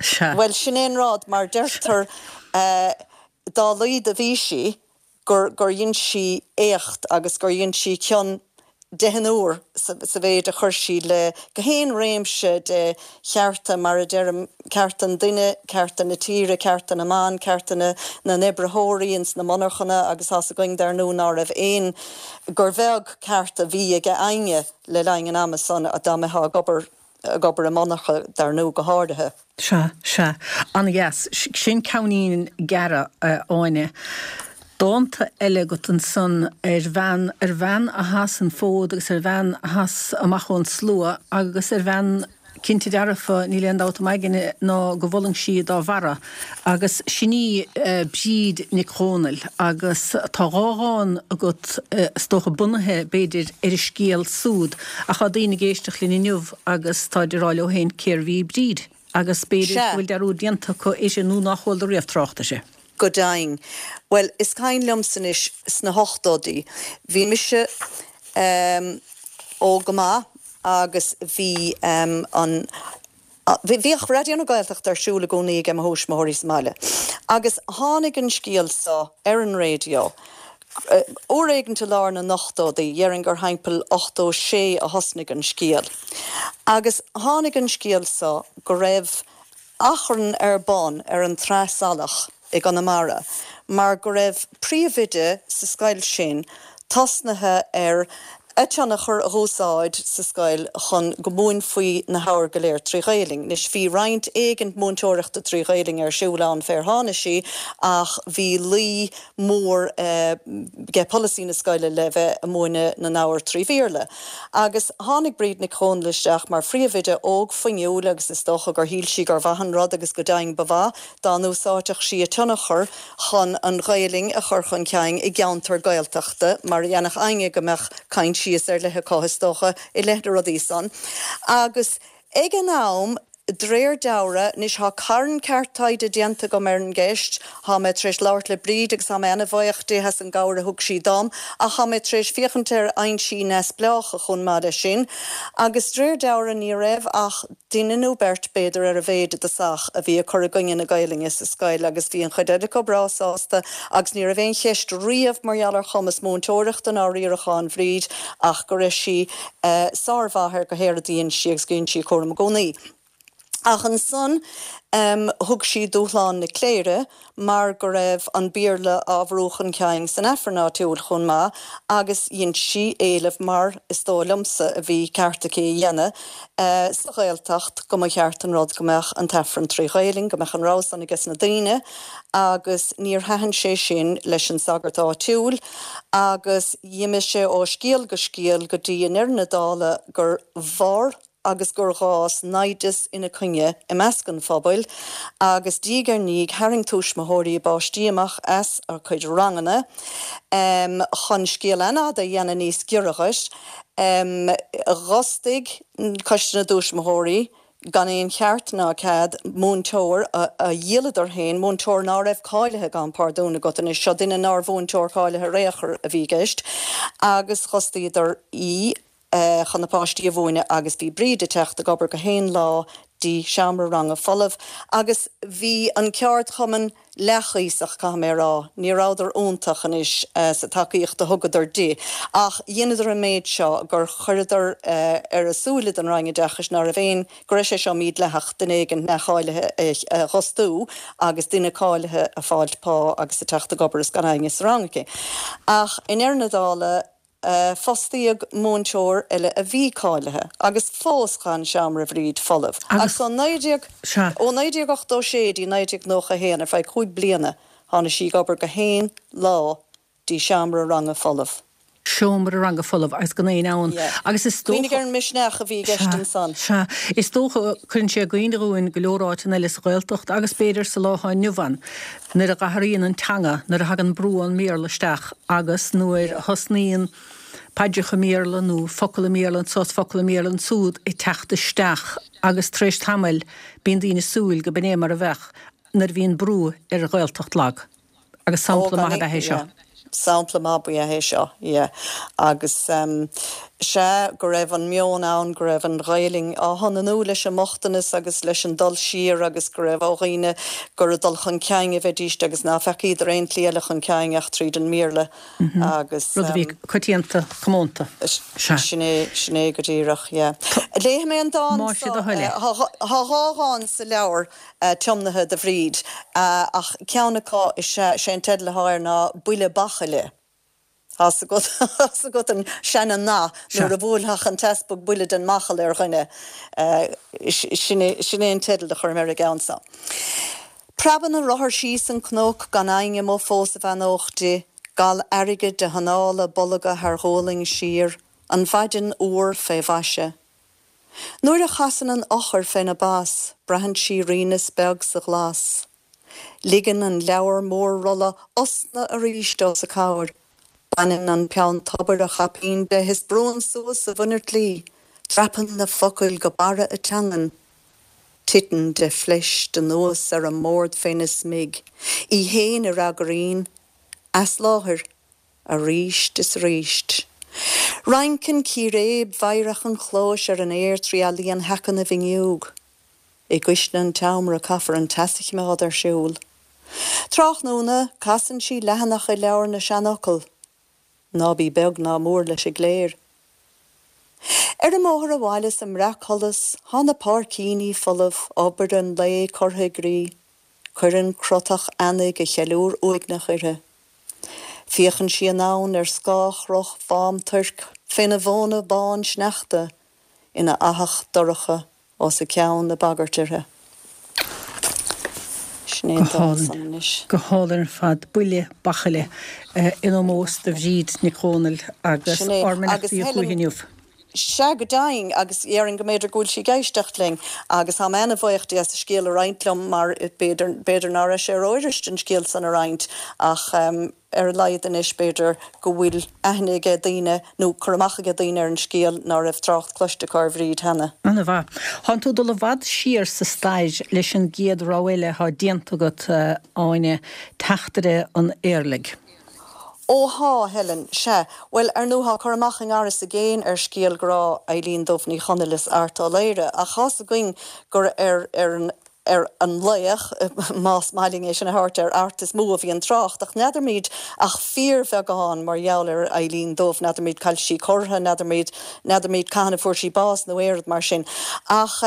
Sea. Bhuel, sin é an rud, mar deirtear, dá laghad a bhí sí, gur gur dhein sí éacht agus gur dhein sí cion deich n-uair sa mhéid a chuir sí le gach aon réimse de chearta, mar a deirim, cearta an duine, cearta na tíre, cearta na mban, cearta na na n-oibritheoirí ins na monarchana agus tá's againn dar ndóigh ná raibh aon, gur bheag ceart a bhí ag éinne le linn an ama san dá mbeifeá ag obair ag obair i monarcha, dar ndóigh, go háirithe. Sea, sea. An-dheas. Sin ceainnín gearr, a Áine. Dánta eile agat ansan ar bhean, ar bhean a sheas an fód agus ar bhean a sheas amach ón slua agus ar bhean, cinnte dearfa, níl aon dabht im aigne ná go bhfulaing sí dá bharra. Agus sin í Bríd Nic Dhónaill agus tá dhá dhán agat, is dócha, bunaithe, b'fhéidir, ar a scéal súd. Ach tá daoine ag éisteacht linn inniu agus táid ag rá leo féin cérbh í Bríd? Agus b'fhéidir go bhfuil dearúd déanta acu uirthi nó nár chuala riamh trácht uirthi. Go deimhin. Bhuel, is cuimhin liomsa anois, sna hochtóidí, bhí mise óg go maith agus bhí an, Bhíodh Raidió na Gaeltachta ar siúl i gcónaí age mo thuismitheoirí sa mbaile agus tháinig an scéal so ar an raidió uair éigint i lár na n-ochtóidí, dhéarfainn gur thimpeall 86 a thosnaigh an scéal. Agus tháinig an scéal so go raibh achrann ar bun ar an Tsraith Salach i gConamara mar go raibh príomhoide sa scoil sin tosnaithe ar. A tionchar a dh'úsáid sa scoil chun go múinfí na hábhair go léir trí Ghaelainn. Anois bhí roinnt éigint múinteoireachta trí Ghaelainn ar siúl ann fé ar tháinig sí ach bhí luí mór 'ge polasaí na scoile le bheith a' múineadh na n-ábhar trí Bhéarla. Agus tháinig Bríd Nic Dhónaill isteach mar phríomhoide óg fuinniúil agus is dócha gur shíl sí gur mhaith an rud agus go deimhin ba mhaith dá n-úsáidfeadh sí a tionchar chun an Ghaelainn a chur chun cinn i gceantar Gaeltachta, mar a dhéanfadh éinne go mbeadh coinsias ar leith acu, is dócha, i leith na rudaí san. Agus ag an am, d'réir dealraimh, anois thá carn ceart taighde déanta agam ar an gceist, thá mé tar éis labhairt le Bríd agus thá mé ana-bhaoch di as an gcabhair a thug sí dom, ach thá mé tar éis féachaint ar fhoinsí neamhspleácha chomh maith leis sin, agus d'réir dealraimh ní raibh ach duine nó beirt b'fhéidir ar a mhéid i dtosach a bhí ag cur i gcoinne na Gaelainne sa scoil agus bhí an chuid eile acu breá sásta agus ní raibh aon cheist riamh mar gheall ar chumas múinteoireachta ná riaracháin Bhríd ach go raibh sí sármhaith ar gach aon rud a dhein sí agus go dhein sí a cúram i gcónaí. Ach ansan thug sí dúshlán na cléire mar go raibh an Béarla á bhrú chun cinn san Aifreann áitiúil chomh maith agus dhein sí éileamh, mar is dóigh liomsa a bhí ceart aici a dhéanamh, sa Ghaeltacht go mba cheart an rud go mbeadh an tAifreann trí Ghaelainn, go mbeadh an rogha san aige sna daoine agus níor thaitin sé sin leis an sagart áitiúil agus dh'imigh sé ó scéal go scéal go dtí i ndeireadh na dála gur mhair agus gur dh'fhás naimhdeas ina coinne i measc an phobail, agus diaidh ar ndiaidh tharraing tuismitheoirí a bpáistí amach as a cuid ranganna. Chun scéal an-fhada a dhéanamh níos giorra dhuit, dh'fhostaigh Coiste na dTuismitheoirí, gan aon cheart ná cead, múinteoir a dhíoladar féin, múinteoir ná raibh cáilithe, gabhaim pardún agat anois, seo duine nár mhúinteoir cáilithe ar aon chor a bhí i gceist, agus dh'fhostaíodar í. chun na páistí a mhúineadh agus bhí Bríd ag teacht ag obair gach aon lá dtí seomra ranga folamh agus bhí an ceardchumann leathchuíosach, caithfidh mé a rá, ní rabhadar iontach anois sa tacaíocht a thugadar di ach dheineadar an méid seo gur chuireadar ar a súile don Roinn Oideachais ná raibh aon, go raibh sé seo mídhleathach duine éigin neamhcháilithe a dh'fhostú agus duine cáilithe a fáilt pá agus a teacht ag obair is gan éinne sa rang aici. Ach i ndeireadh na dála, Fostaíodh múinteoir eile a bhí cáilithe agus fós d'fhan seomra Bhríd folamh. Agus ó 1986 dtí 1991, ar feadh chúig bliana, tháinig sí ag obair gach aon lá dtí seomra ranga folamh. Seomra ranga folamh agus gan éinne ann. Agus is dócha. Cuimhnigh ar an misneach a bhí i gceist ansan. Sea. Is dócha, cuireann sé i gcuimhne dhúinn go leor áiteanna eile sa Ghaeltacht agus b'fhéidir sa lá atá inniu ann, nuair a dh'athraíonn an teanga, nuair a thagann brú ón mBéarla isteach agus nuair a thosnaíonn paidreacha i mBéarla nó focal i mBéarla anso is focal i mBéarla ansúd ag teacht isteach agus tar éis tamaill bíonn daoine ag súil go b'in é mar a bheadh nuair a bhíonn brú ar Ghaeltacht lag. Agus sampla maith ab ea é seo. Sampla maith ba ea é seo, yeah. Agus sea, go raibh an meon ann go raibh an Ghaelainn á hionannú leis an mbochtanas agus leis an dul siar agus go raibh ó dhaoine gur ag dul chun cinn a bheidíst agus ná feacaíodar aon tslí eile chun cinn ach tríd an mBéarla agus. Rud a bhí coitianta, comónta. Sea. Sin é, sin é go díreach, yeah. Léifidh mé an dán Más é do thoil é. Tá dhá dhán sa leabhar. tiomnaithe do Bhríd, ach ceann acu is ea, sé an teideal atá air ná Buille Bachaille. Tá's agat, tá's agat an seana-nath, nuair a bhuailfeadh an t-easpag buille den mbachall ar dhuine. Sin é, sin é an teideal a chuir mé ar an gceann seo. Preabann a rothar síos an cnoc gan éinne amuigh fós a bheannódh di, gal airgid a hanála bolga thar ghualainn siar, an mhaidin fhuar fé mhaise. Nuair a chasann an eochair féna bas, braitheann sí righneas beag sa ghlas. Ligeann an leabhar mór rolla osna arís os a comhair. Baineann an peann tobair a chaipín de is brúann suas a mhuinertl í. Dreapann na focail go barra a teangan. Titeann de phleist anuas ar an mbord féna smig. Í fhéin a fhreagraíonn. As láthair. Aríst is aríst. Rinceann círéib mheidhreach an chlóis ar an aer trí ealaíon sheaca na bhfuinneog. I gcuisle an tseomra caithfear an teas a chimeád ar siúl. Tráthnóna, casann sí leathanach i leabhar na seanfhocal. Ná bí beag ná mór leis an gcléir. Ar an mbóthar abhaile sa mbreacsholas, thá na páircíní folamh, obair an lae curtha i gcrích. Cuireann crotach eanaigh a cheiliúr uaigneach uirthi. Féachann sí anonn ar scáthchruth Mhám Tuirc. Féna bhóna bán sneachta ina fhathach dorcha os a ceann ag bagairt uirthi. Sin é an dán san anois. Go hálainn ar fad. Buille bachaille in ómós do Bhríd Nic Dhomhnaill agus ár mbeannachtaí chúichi inniu. Sea, go deimhin, agus dhéarfainn go mb'fhéidir go bhfuil sí ag éisteacht linn, agus tá mé ana-bhuíoch di as a scéal a roinnt liom, mar b'fhéidir, b'fhéidir ná raibh sé rófhuirist an scéal san a roinnt, ach ar a laghad anois b'fhéidir go bhfuil aithne aige daoine, nó cur amach aige daoine ar an scéal ná raibh trácht cloiste acu ar Bhríd cheana. Ana-mhaith. Thánn tú ag dul i bhfad siar sa stair leis an gcéad rogha eile atá déanta agat, Áine, Teachtaire an Éirligh. Ó thá, Helen, sea. Bhuel, ar ndóigh, thá cur amach i ngar is i gcéin ar scéal grá Eilín Dubh Ní Chonaill is Art Ó Laoghaire, ach thá's againn gur ar ar an ar an laoch, más maith linn é sin a thabhairt ar Art, is mó a bhí an trácht. Ach n'fheadarmaid ach fíorbheagán mar gheall ar Eilín Dubh, n'fheadarmaid cá bhfuil sí curtha, n'fheadarmaid n'fheadarmaid cathain a fuair sí bás nó aon rud mar sin. Ach.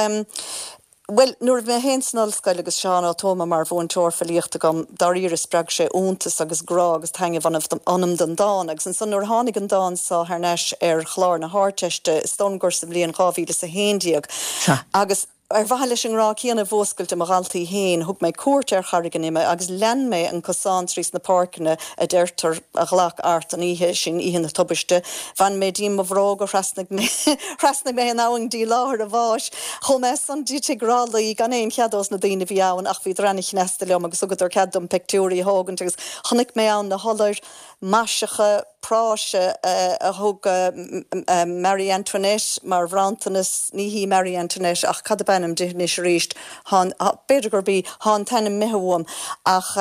Bhuel, nuair a bhí mé féin san ollscoil agus Seán Ó Tuama mar mhúinteoir filíochta agam, dáiríre spreag sé iontas agus grá agus taitneamh ionam don dán. Agus ansan nuair a tháinig an dán so thar n-ais ar chlár na hArdteiste, is dóigh liom gur sa bhliain 2011, agus ar mhaithe leis an ngrá céanna a mhúscailt i mo dhaltaí féin, thug mé cuairt ar Charraig an Ime agus lean mé an cosán trí sna páirceanna a deirtear a ghlac Art an oíche sin, oíche na tubaiste. Bhain mé díom mo bhróga, thrasnaigh mé, thrasnaigh mé an abhainn dtí láthair a bháis. Chuaigh mé ansan dtí Tigh Rálaí gan aon chead ós na daoine a bhí ann ach bhíodar ana-chneasta liom agus thugadar cead dom peictiúirí a thógaint agus chonaic mé ann na hiollair maiseacha práise a thug Marie Antoinette mar bhronntanas, ní hí Marie Antoinette ach cad ab ainm di anois arís, b'fhéidir gurb í, thá an t-ainm imithe uaim ach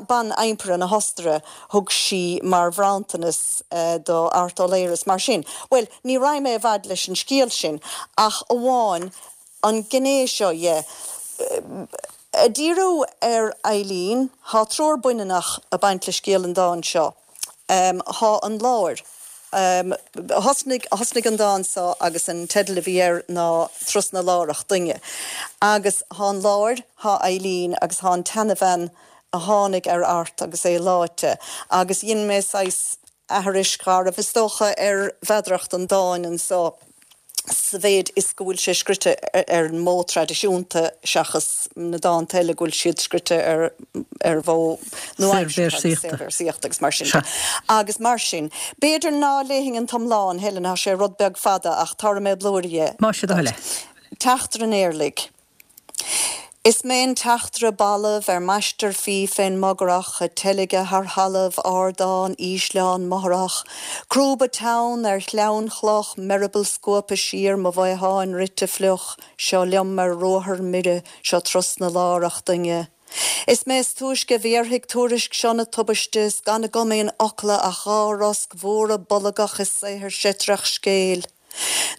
ban-impire na hOstaire, thug sí mar bhronntanas do Art Ó Laoghaire is mar sin. Bhuel, ní raghaidh mé i bhfad leis an scéal sin ach amháin an gné seo dhe. Ag díriú ar Eileen, thá triúr baineannach ag baint le scéal an dáin seo. Thá an láir. Thosnaigh, thosnaigh an dán seo agus an teideal a bhí air ná Trus na Lárach Doinne. Agus thá an láir, thá Eileen agus thá an tseanabhean a tháinig ar Art agus é leáite, agus dhein mé saghas aithris gharbh, is dócha, ar mheadaracht an dáin anso sa mhéid is go bhfuil sé scrite ar an modh traidisiúnta seachas na dánta eile go bhfuil siad scrite ar ar mhodh nua-aimseartha agus saorvéarsaíochta agus mar sin de. Agus mar sin, b'fhéidir ná léifinn an t-iomlán, Helen, tá sé rud beag fada ach tabharfaidh mé blúire dhe. Más é do thoil é. Teachtaire an Éirligh. Is mé an teachtaire balbh ar m'aistear fiaigh fén mbogarthach a teilgeadh thar thalamh, ardán, ísleán, mothrach, crúba teann ar shleamhain chloch, m'eireaball scuabtha siar, mo mhaotháin rite fliuch, seo liom ar ruathar mire, seo trus na lárach doinne. Is mé is túisce a bhéarfaidh tuairisc seo na tubaiste, is gan agam aon fhocla ach dha rosc mhóra bolgach is saothar seitreach scéil.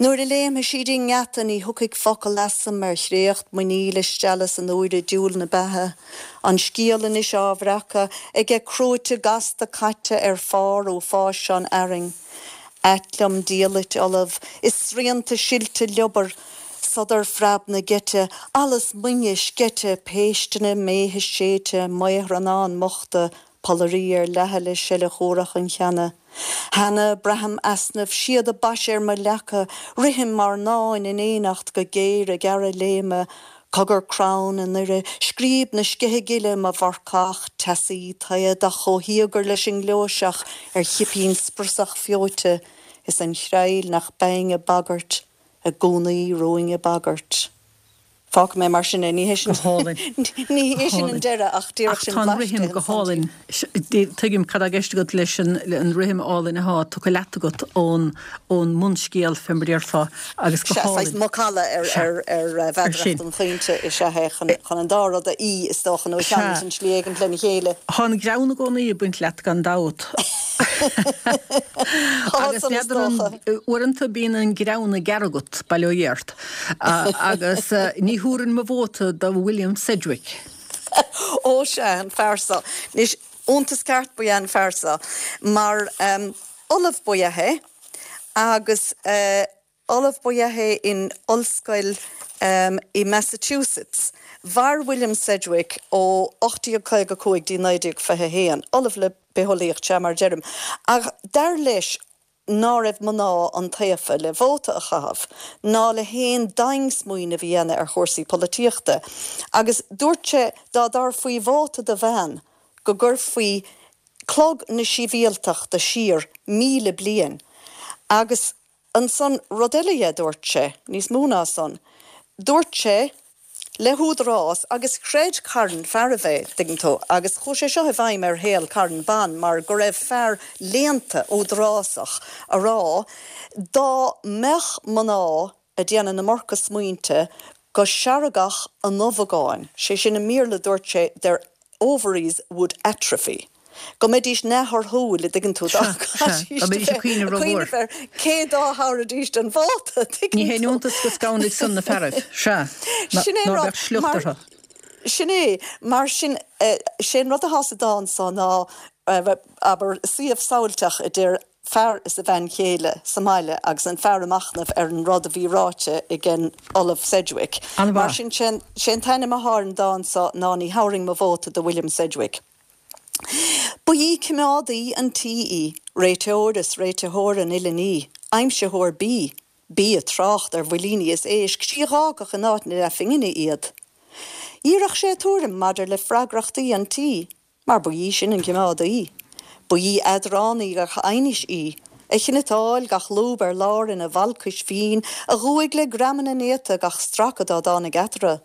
Nuair a léimfidh sí dtí'n ngeata ní thiocfaidh focal asam ar chréacht muiníl is stealladh san úire diabhal na beatha. An scéal anois á bhreacadh aige crúite gasta caite ar phár uafáis seo an fhearainn. Ait liom diallait fholamh is srianta silte liobair, sodar phreab na geite, allas moinge sceite, péisteanna méithe séidte, maothrannáin mbochta, Pollairí ar leathadh le seile shuarach an cheana. Cheana, braithim easnamh, síoda baise ar mo leaca, rithim ár ndáin in éineacht go géar ag gearradh léime, cogar crann i ndoire, scríob na sceiche gile, mo mharcach teasaí taoideach chomh híogair leis an ngleoiseach ar chipín spriosach feoite, is an chreill nach beinn ag bagairt, i gcónaí romhainn ag bagairt. Fágfaidh mé mar sin é. Ní hé sin Go hálainn. ní hé sin an deireadh ach díreach Ach sin tá an blaiseadh rithim go hálainn. Tuigim cad tá i gceist agat leis an an rithim álainn atá tugtha leat agat ón ón mbunscéal fé mar a déarfá agus go Sea, saghas hálainn. macalla ar Sea. ar ar Ar mheadaracht sin. an chaointe is ea é chun chun an dá rud a fhí, is dócha, nó a Sea. cheangal i slí éigint lena chéile. Tá an greann i gcónaí ag baint leat gan dabht. Tá Agus san is n'fheadar an dócha. uaireanta bíonn an greann ag gearradh agat, bail ó Dhia ort. Agus ní thabharfainn mo vóta do William Sedgwick. Ó sea, an fear so. Anois, iontas ceart ba ea an fear so, mar ollamh ba ea é, agus ollamh ba ea é in ollscoil i Massachusetts. Mhair William Sedgwick ó 1855 dtí 1921, ollamh le bitheolaíocht, sea, mar a deirim. Ach dar leis. ná raibh mná iontaofa le vóta a chaitheamh, ná le haon daing-smaoineamh a dhéanamh ar chúrsaí polaitíochta, agus dúirt sé dá dtabharfaí vóta do bhean go gcuirfí clog na sibhialtachta siar 1,000 bliain, agus ansan rud eile dhe, dúirt sé, níos mó ná san, dúirt sé le húdarás, agus chreid carn fearaibh é, dtuigeann tú, agus chuaigh sé seo i bhfeidhm ar shaol carn ban mar go raibh fear léannta údarásach a rá dá mbeadh mná a' déanamh na marca smaointe go seargfadh a n-ubhagáin, sé sin i mBéarla dúirt sé their ovaries would atrophy, go mbeidís neamhthorthúil, a' dtuigeann tú, dá gcaithfidís a bheith ag cuimhneamh ar cé dá thabharfaidís an vóta, a' dtuigeann tú. Ní haon iontas go scanraigh san na fearaibh, sea, ná bheadh sliocht orthu. Sin é, mar sin, sé an rud athá sa dán so ná, abair, suíomh samhailteach idir fear is a bhean chéile sa mbaile agus an fear ag machnamh ar an rud a bhí ráite ag an Ollamh Sedgwick. An-mhaith. Mar sin, sé an t-ainm athá ar an dán so ná Ní Thabharfainn Mo Vóta do William Sedgwick. Ba í coimeádaí an tí í, réiteoir is réititheoir an uile ní, aimsitheoir bídh, b'í a trácht ar bhuilíní is éisc, sí a dh'fhágfadh in áit na leathphingine iad. D'iarrfadh sé a tuairim maidir le freagrachtaí an tí, Mar ba í sin an coimeádaí. Ba í eadránaí gach aighnis í, a chniotáil gach lúb ar lár ina bhalcais mhín, a dhúigh le greamanna néata gach stracadh dá dtáinig eatarthu.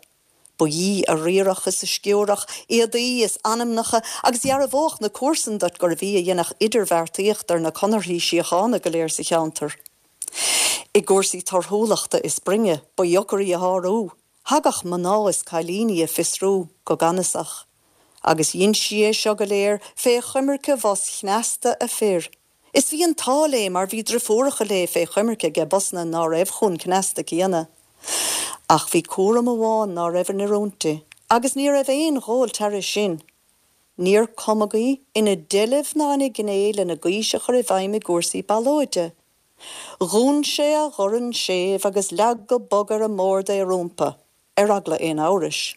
Ba í a riarfadh is a sciúrfadh éadaí is anamnacha agus dhearbhódh na comharsain duit gurbh í a dhéanfadh idirbheartaíocht ar na conarthaí síochána go léir sa cheantar. I gcúrsaí torthúlachta is broinne, ba dheocair í a shárú. Thagadh mná is cailíní a fiosrú go gannasach, agus dhein sí é seo go léir fé choimirce bhos chneasta a fir. Is bhí an t-ádh léi mar bhí driofúracha léi fé choimirce aige bosanna ná raibh chomh cneasta céanna. Ach bhí cúram amháin ná raibh in oiriúint di, agus ní raibh aon ghol thairis sin. Níor cumadh í ina deilbh ná ina gné lena gaois a chur i bhfeidhm i gcúrsaí ballóide. Dhún sé a dhorn séimh agus leag go bog ar an mbord é rómpa, ar eagla aon amhrais.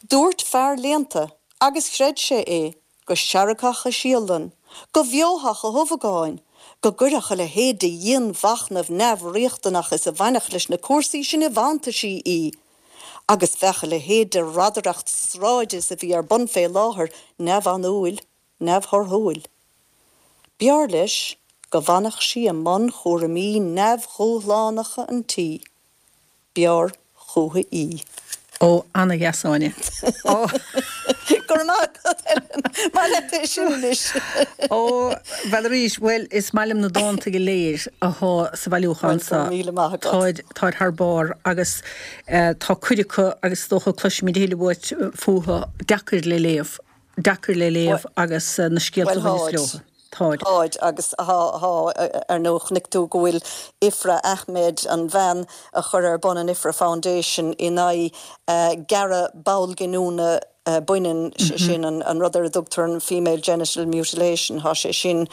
Dúirt fear léannta, agus chreid sé é, go seargfadh a síollann, go bhfeofadh a hubhagáin, go gcuirfeadh a leithéid de dhianmhachnamh neamhriachtanach is a bhainfeadh leis na cúrsaí sin i bhfantaisí í, agus bheadh a leithéid de radaireacht sráide is a bhí ar bun fé láthair neamhanúil. neamhthorthúil. B'fhearr leis go bhfanfadh sí i mbun chúraimí neamhdhúshlánacha an tí. B'fhearr chúithi í. Ó, ana-dheas, Áine. Ó. Go raibh maith agat, Helen. Maith leat é sin anois. Ó, bhuel arís, bhuel, is maith liom na dánta go léir athá sa bhailiúchán seo. Bhuel, go raibh míle maith agat. Táid, táid thar barr agus tá cuid acu, agus is dócha cloisfimid a thuilleadh uait fúthu, deacair le léamh. deacair le léamh agus na scéalta a bhaineas leo. Táid. Táid agus thá, thá, ar ndóigh chonaic tú go bhfuil Ifra Ahmed, an bhean a chuir ar bun an Ifra Foundation in aghaidh gearradh ball giniúna baineann, sé sin an rud ar a dtugtar an female genital mutilation, thá sé sin,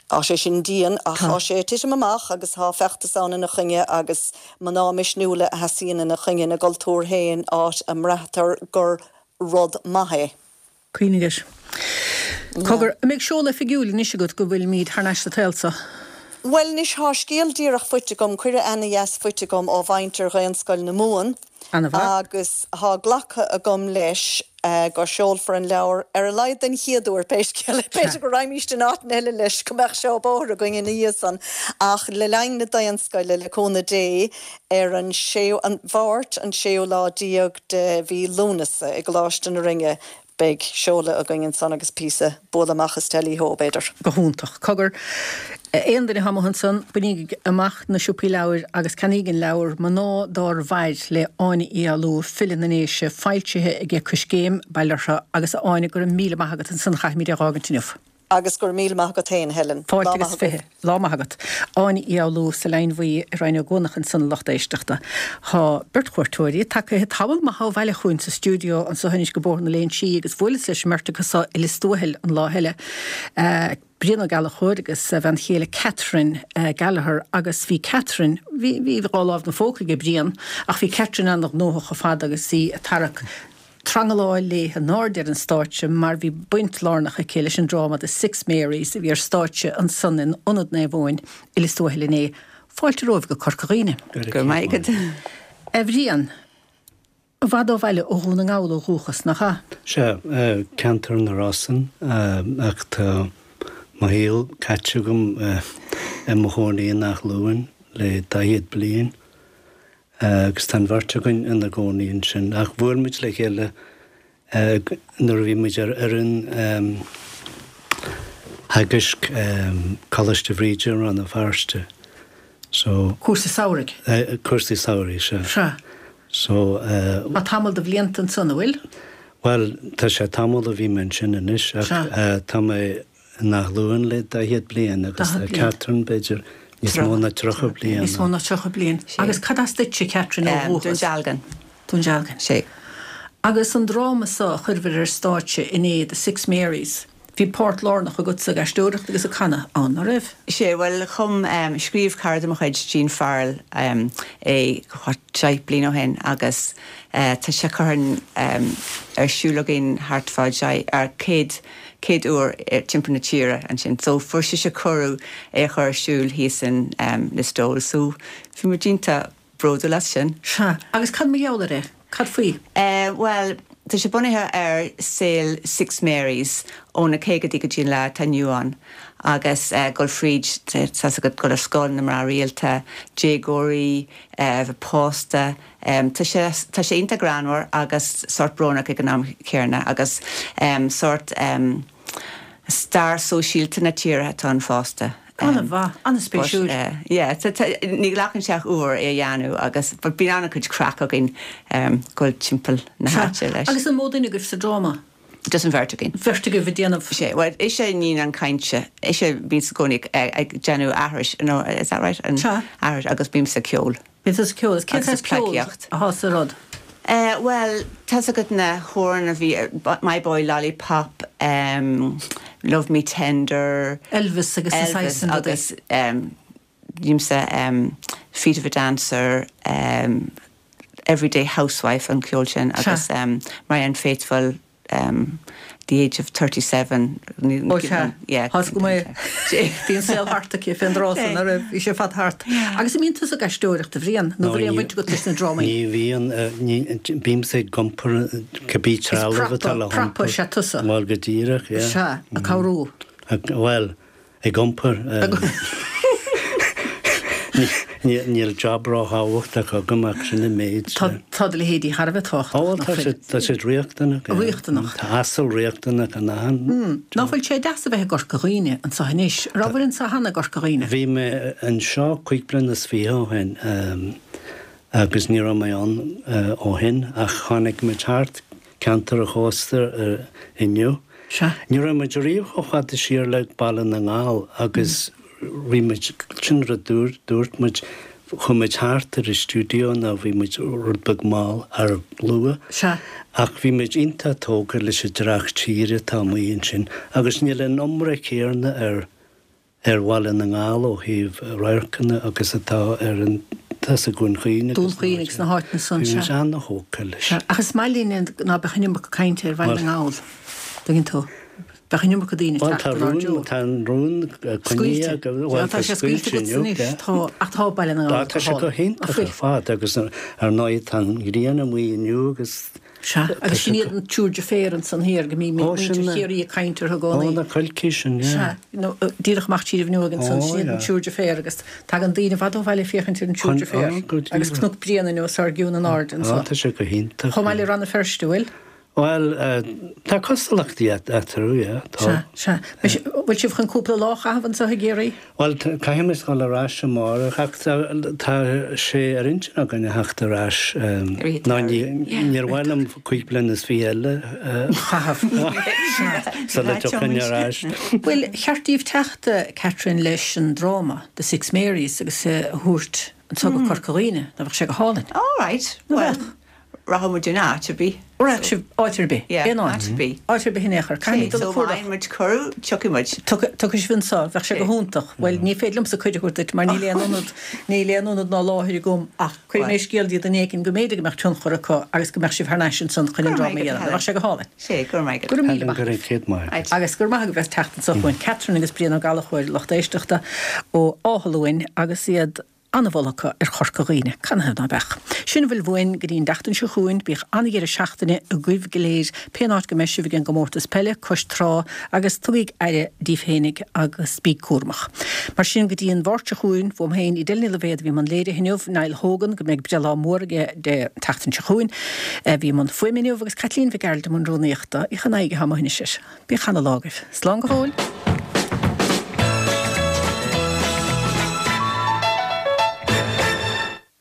thá sé sin dian ach thá sé ag titim amach agus thá feachtas ann ina choinne agus mná misniúla a sheasaíonn ina choinne ina gcultúr féin áit a mbraitear gur rud maith é. Cuimhnigh air. Cogar, an mbeidh seoladh oifigiúil anois agat go bhfuilimid thar n-ais sa tsaol so? Bhuel anois thá scéal díreach faighte agam, cuireadh ana-dheas faighte agam ó mhuintir Dhaonscoil na Mumhan Ana-mhaith. agus thá glactha agam leis go seolfar an leabhar ar a laghad den chéad uair, pé scéal é. B'fhéidir go raghaimíst in áiteanna eile leis go mbeadh seó bóthair againn ina dhiaidh san ach le linn na Daonscoile, le cúnamh Dé, ar an séú, an Mháirt an séú lá déag de mhí Lúnasa i gColáiste na Rinne beidh seoladh againn ansan agus píosa bualadh amach is teilí hó, b'fhéidir. Go hiontach. Cogar, aon duine atá amuigh ansan, bainígí amach na siopaí leabhair agus ceannaígí an leabhar Mná Dár Mhair le Áine Uí Fhoghlú, file na nDéise, foilsithe aige Coiscéim, bail orthu, agus a Áine, go raibh míle maith agat ansan, chaithfimid é a dh'fhágaint inniu. Agus go raibh míle maith agat féin, Helen. Fáilte agus 20. Lá maith agat. Áine Uí Fhoghlú sa Leidhinn Bhuí i Rinn Ó gCuanach ansan a lucht éisteachta. Tá beirt chuairteoirí tagaithe tamall maith ó bhaile chugainn sa stiúideo anso anois go Bóthar na Léinsí agus bhuaileas leis an mbeirt acu so i Lios Tuathail an lá eile, Brian Ó Gallchóir agus a bhean chéile Catherine Gallagher agus bhí Catherine, bhí, bhí dhá lámh 'na phóca aige Brian ach bhí Catherine ana-ghnóthach ar fad agus í ag tarrac. Trangaláil léi in airde ar an stáitse mar bhí baint lárnach aici leis an dráma The Six Marys a bhí ar stáitse ansan in Ionad Naomh Eoin i Lios Tuathail inné. Fáilte romhaibh go Corca Dhuibhne. Go raibh maith agat. A Bhriain, i bhfad ó bhaile ó Dhún na nGall ó dhúchas, nach ea? Sea, ceantar na Rosann, ach tá mo shaol caite agam i mo chónaí in Áth Luain le daichead bliain. Agus tá an bheirt againn ina gcónaí ansin. Ach bhuail muid le chéile nuair a bhí muid ar fhoireann theagaisc Coláiste Bhríde i Rann na Feirste. So. Cúrsa samhraidh? Cúrsaí samhraidh, sea. Sea. So. Tá tamall de bhlianta ansan, an bhfuil? Bhuel, tá sé tamall ó bhí mé ansin anois ach tá mé in Áth Luain le daichead bliain agus tá Catherine, b'fhéidir, níos mó ná 30 bliain. Níos mó ná 30 bliain. Agus cad as duitse, Catherine, ó dhúchas? Dún Dealgan. Dún Dealgan. Sea. Agus an dráma so a chuireabhair ar stáitse inné, The Six Marys, bhí páirt lárnach agatsa ag aisteoireacht agus ag canadh ann, ná raibh? Sea, bhuel, chum, scríobh cara de mo chuid, Jean Farrell, é deich bliain ó shin agus tá sé curtha ar siúl againn thart fá deich, 100, chéad uair timpeall na tíre ansin. So fuair sise cuireadh é a chur ar siúl thíos in Listowel. So bhí muid iontach bródúil as sin. Sea. Agus cad mar gheall air é? Cad faoi? Bhuel, tá sé bunaithe ar saol Six Marys ó na caogaidí go dtí an lá atá inniu ann agus dul fríd, tá's agat, dul ar scoil, na mná rialta, déagóirí, bheith pósta, Tá sé, tá sé iontach greannmhar agus sórt brónach ag an am chéanna agus sórt stair sóisialta na tíre atá ann fosta. An-mhaith, an-spéisiúil. But yeah, tá, tá, ní ghlacann sé ach uair é a dhéanamh agus, but bíonn an-chuid craic againn dul timpeall na háite leis. Agus an mó duine agaibh sa dráma? Just an bheirt againn. Bheirt agaibh ag déanamh. Sea, bhuel, ise a níonn an cainte, ise a bhíonns i gcónaí ag déanamh aithris, no, is that right? Sea. Aithris agus bímse ag ceol. Bíonn tusa ag ceol. Is cén saghas ceoil atá sa rud? Bhuel, tá's agat na hamhráin a bhí, My Boy Lollipop, Love Me Tender. Elvis agus na saghas sin rudaí. Elvis agus bímse Feet of a Dancer, Everyday Housewife an ceol sin agus Marianne Faithfull The Age of 37. Ó sea, tá's agam é. Bhí an saol thart aici fén dtráth san, ná raibh? Bhí sé fada thart. Agus an mbíonn tusa ag aisteoireacht, a Bhriain, nó bhfuil aon bhaint agat leis na drámaí? Ní bhíonn, bímse ag iompar cibé trealamh atá le hiompar. Is prapa is ea tusa. Bhuel, go díreach, yeah. Sea, ag cabhrú. Bhuel, Ag iompar. Níl job ró-thábhachtach agam ach sin an méid. Tá do leithéidí thar a bheith tábhachtach, nach bhfuil? Tá siad riachtanach. Riachtanach. Tá asal riachtanach in achan job. Ná fuil sé deas a bheith i gCorca Dhuibhne anseo anois? An rabhair anseo cheana i gCorca Dhuibhne? Bhí mé anseo cúig bliana is fiche ó shin agus ní raibh mé ann ó shin ach tháinig muid thart ceantar an chósta inniu. Sea. Ní raibh muid riamh chomh fada siar le Baile na nGall agus bhí muid, sin rud dúirt muid, chuaigh muid thart ar an stiúideo nó bhí muid rud beag mall ar luath. Sea. Ach bhí muid iontach tógtha leis an dreach tíre atá amuigh ansin agus níl an iomrá céarna ar ar Bhaile na nGall ó thaobh radharcanna agus atá ar an tá sa Dhún Chaoin agus Dún Chaoin agus na háiteanna san, sea. Bhí muid ana-thógtha leis. Sea, ach is maith linn ná beadh an iomarca cainte ar Bhaile na nGall, dtuigeann tú. Bheadh an iomarca daoine ag teacht ar ár dtreo. Tá an rún coinnithe agam. Bhuel, tá sé scaoilte agat anois, tá, ach tá Baile na nGall go hálainn. Tá sé go hiontach ar fad agus ar ndóigh tá an ghrian amuigh inniu agus Sea, agus sin iad an triúr deirféar ansan thiar go mbíonn muintir Chiarraí ag caint orthu i gcónaí. Ó, na coilcí sin, yeah. Sea, nó díreach amach tríd an bhfuinneog ansan, sin iad an triúr deirféar agus tagann daoine i bhfad ó bhaile ag féachaint ar an triúr deirféar agus Cnoc Bréanainn os ár gcionn in airde anso. Ó, tá sé go hiontach. Chomh maith le Rann na Feirste, bhfuil? Bhuel, tá cosúlachtaí eatarthu, yeah, tá. Sea, sea. Bhfuil sibh chun cúpla lá a chaitheamh anseo i gCiarraí? Bhuel, caithfidh muid dul ar ais amárach ach tá sé ar intinn againn a theacht ar ais nó níor mhaith liom cúig bliana is fiche eile a chaitheamh sula dtiocfainn ar ais. Bhuel, cheart daoibh teacht, Catherine, leis an dráma, The Six Marys, agus é a thabhairt anseo go Corca Dhuibhne, nó bheadh sé go hálainn. All right, bheadh. Rachadh muid in áit ar bith. Rachadh sibh áit ar bith? Yeah, Aon áit? áit ar bith. Áit ar bith in aon chor. Caithfimid dul ag So má cuardach. fhaigheann muid cuireadh, tiocfaidh muid. Tiocfaidh sibh anso, bheadh sé go hiontach. Bhuel, ní féidir liomsa cuireadh a thabhairt duit mar níl aon ionad, níl aon ionad ná láthair agam ach cuirfidh mé scéal dtí duine éicint go mb'fhéidir go mbeadh tionchar acu agus go mbeadh sibh thar n-ais ansan chun an Go raibh dráma a maith agat, dhéanamh. Helen. Bheadh sé go hálainn. Sé, go raibh maith agat. Go raibh míle Helen, maith go raibh céad maith agat. Agus go raibh maith agaibh as teacht anso chugainn. Catherine agus Brian Ó Gallchóir, lucht éisteachta ó Áth Luain agus iad An-mholadh acu ar Chorca Dhuibhne, canathaobh ná beadh? Sin a bhfuil uainn go dtí an tseachtain seo chugainn, bíodh an-dheireadh seachtaine agaibh go léir, pén áit go mbeidh sibh ag an gcomórtas peile, cois trá, agus tugaig aire díbh fhéinig agus bíg cúramach. Mar sin, go dtí an Mháirt seo chugainn, uaim féin, Edel Ní Loibhéad a bhí i mbun léirithe inniu, Niall Hogan, go mbeidh breithlá mór aige Dé tseachtain seo chugainn, a bhí i mbun fuaime inniu, agus Caitlín Mhic Gearailt i mbun rúnaíochta. Oíche an aghaidh atá amuigh anois air. Bíodh ana-lá agaibh. Slán go fóill!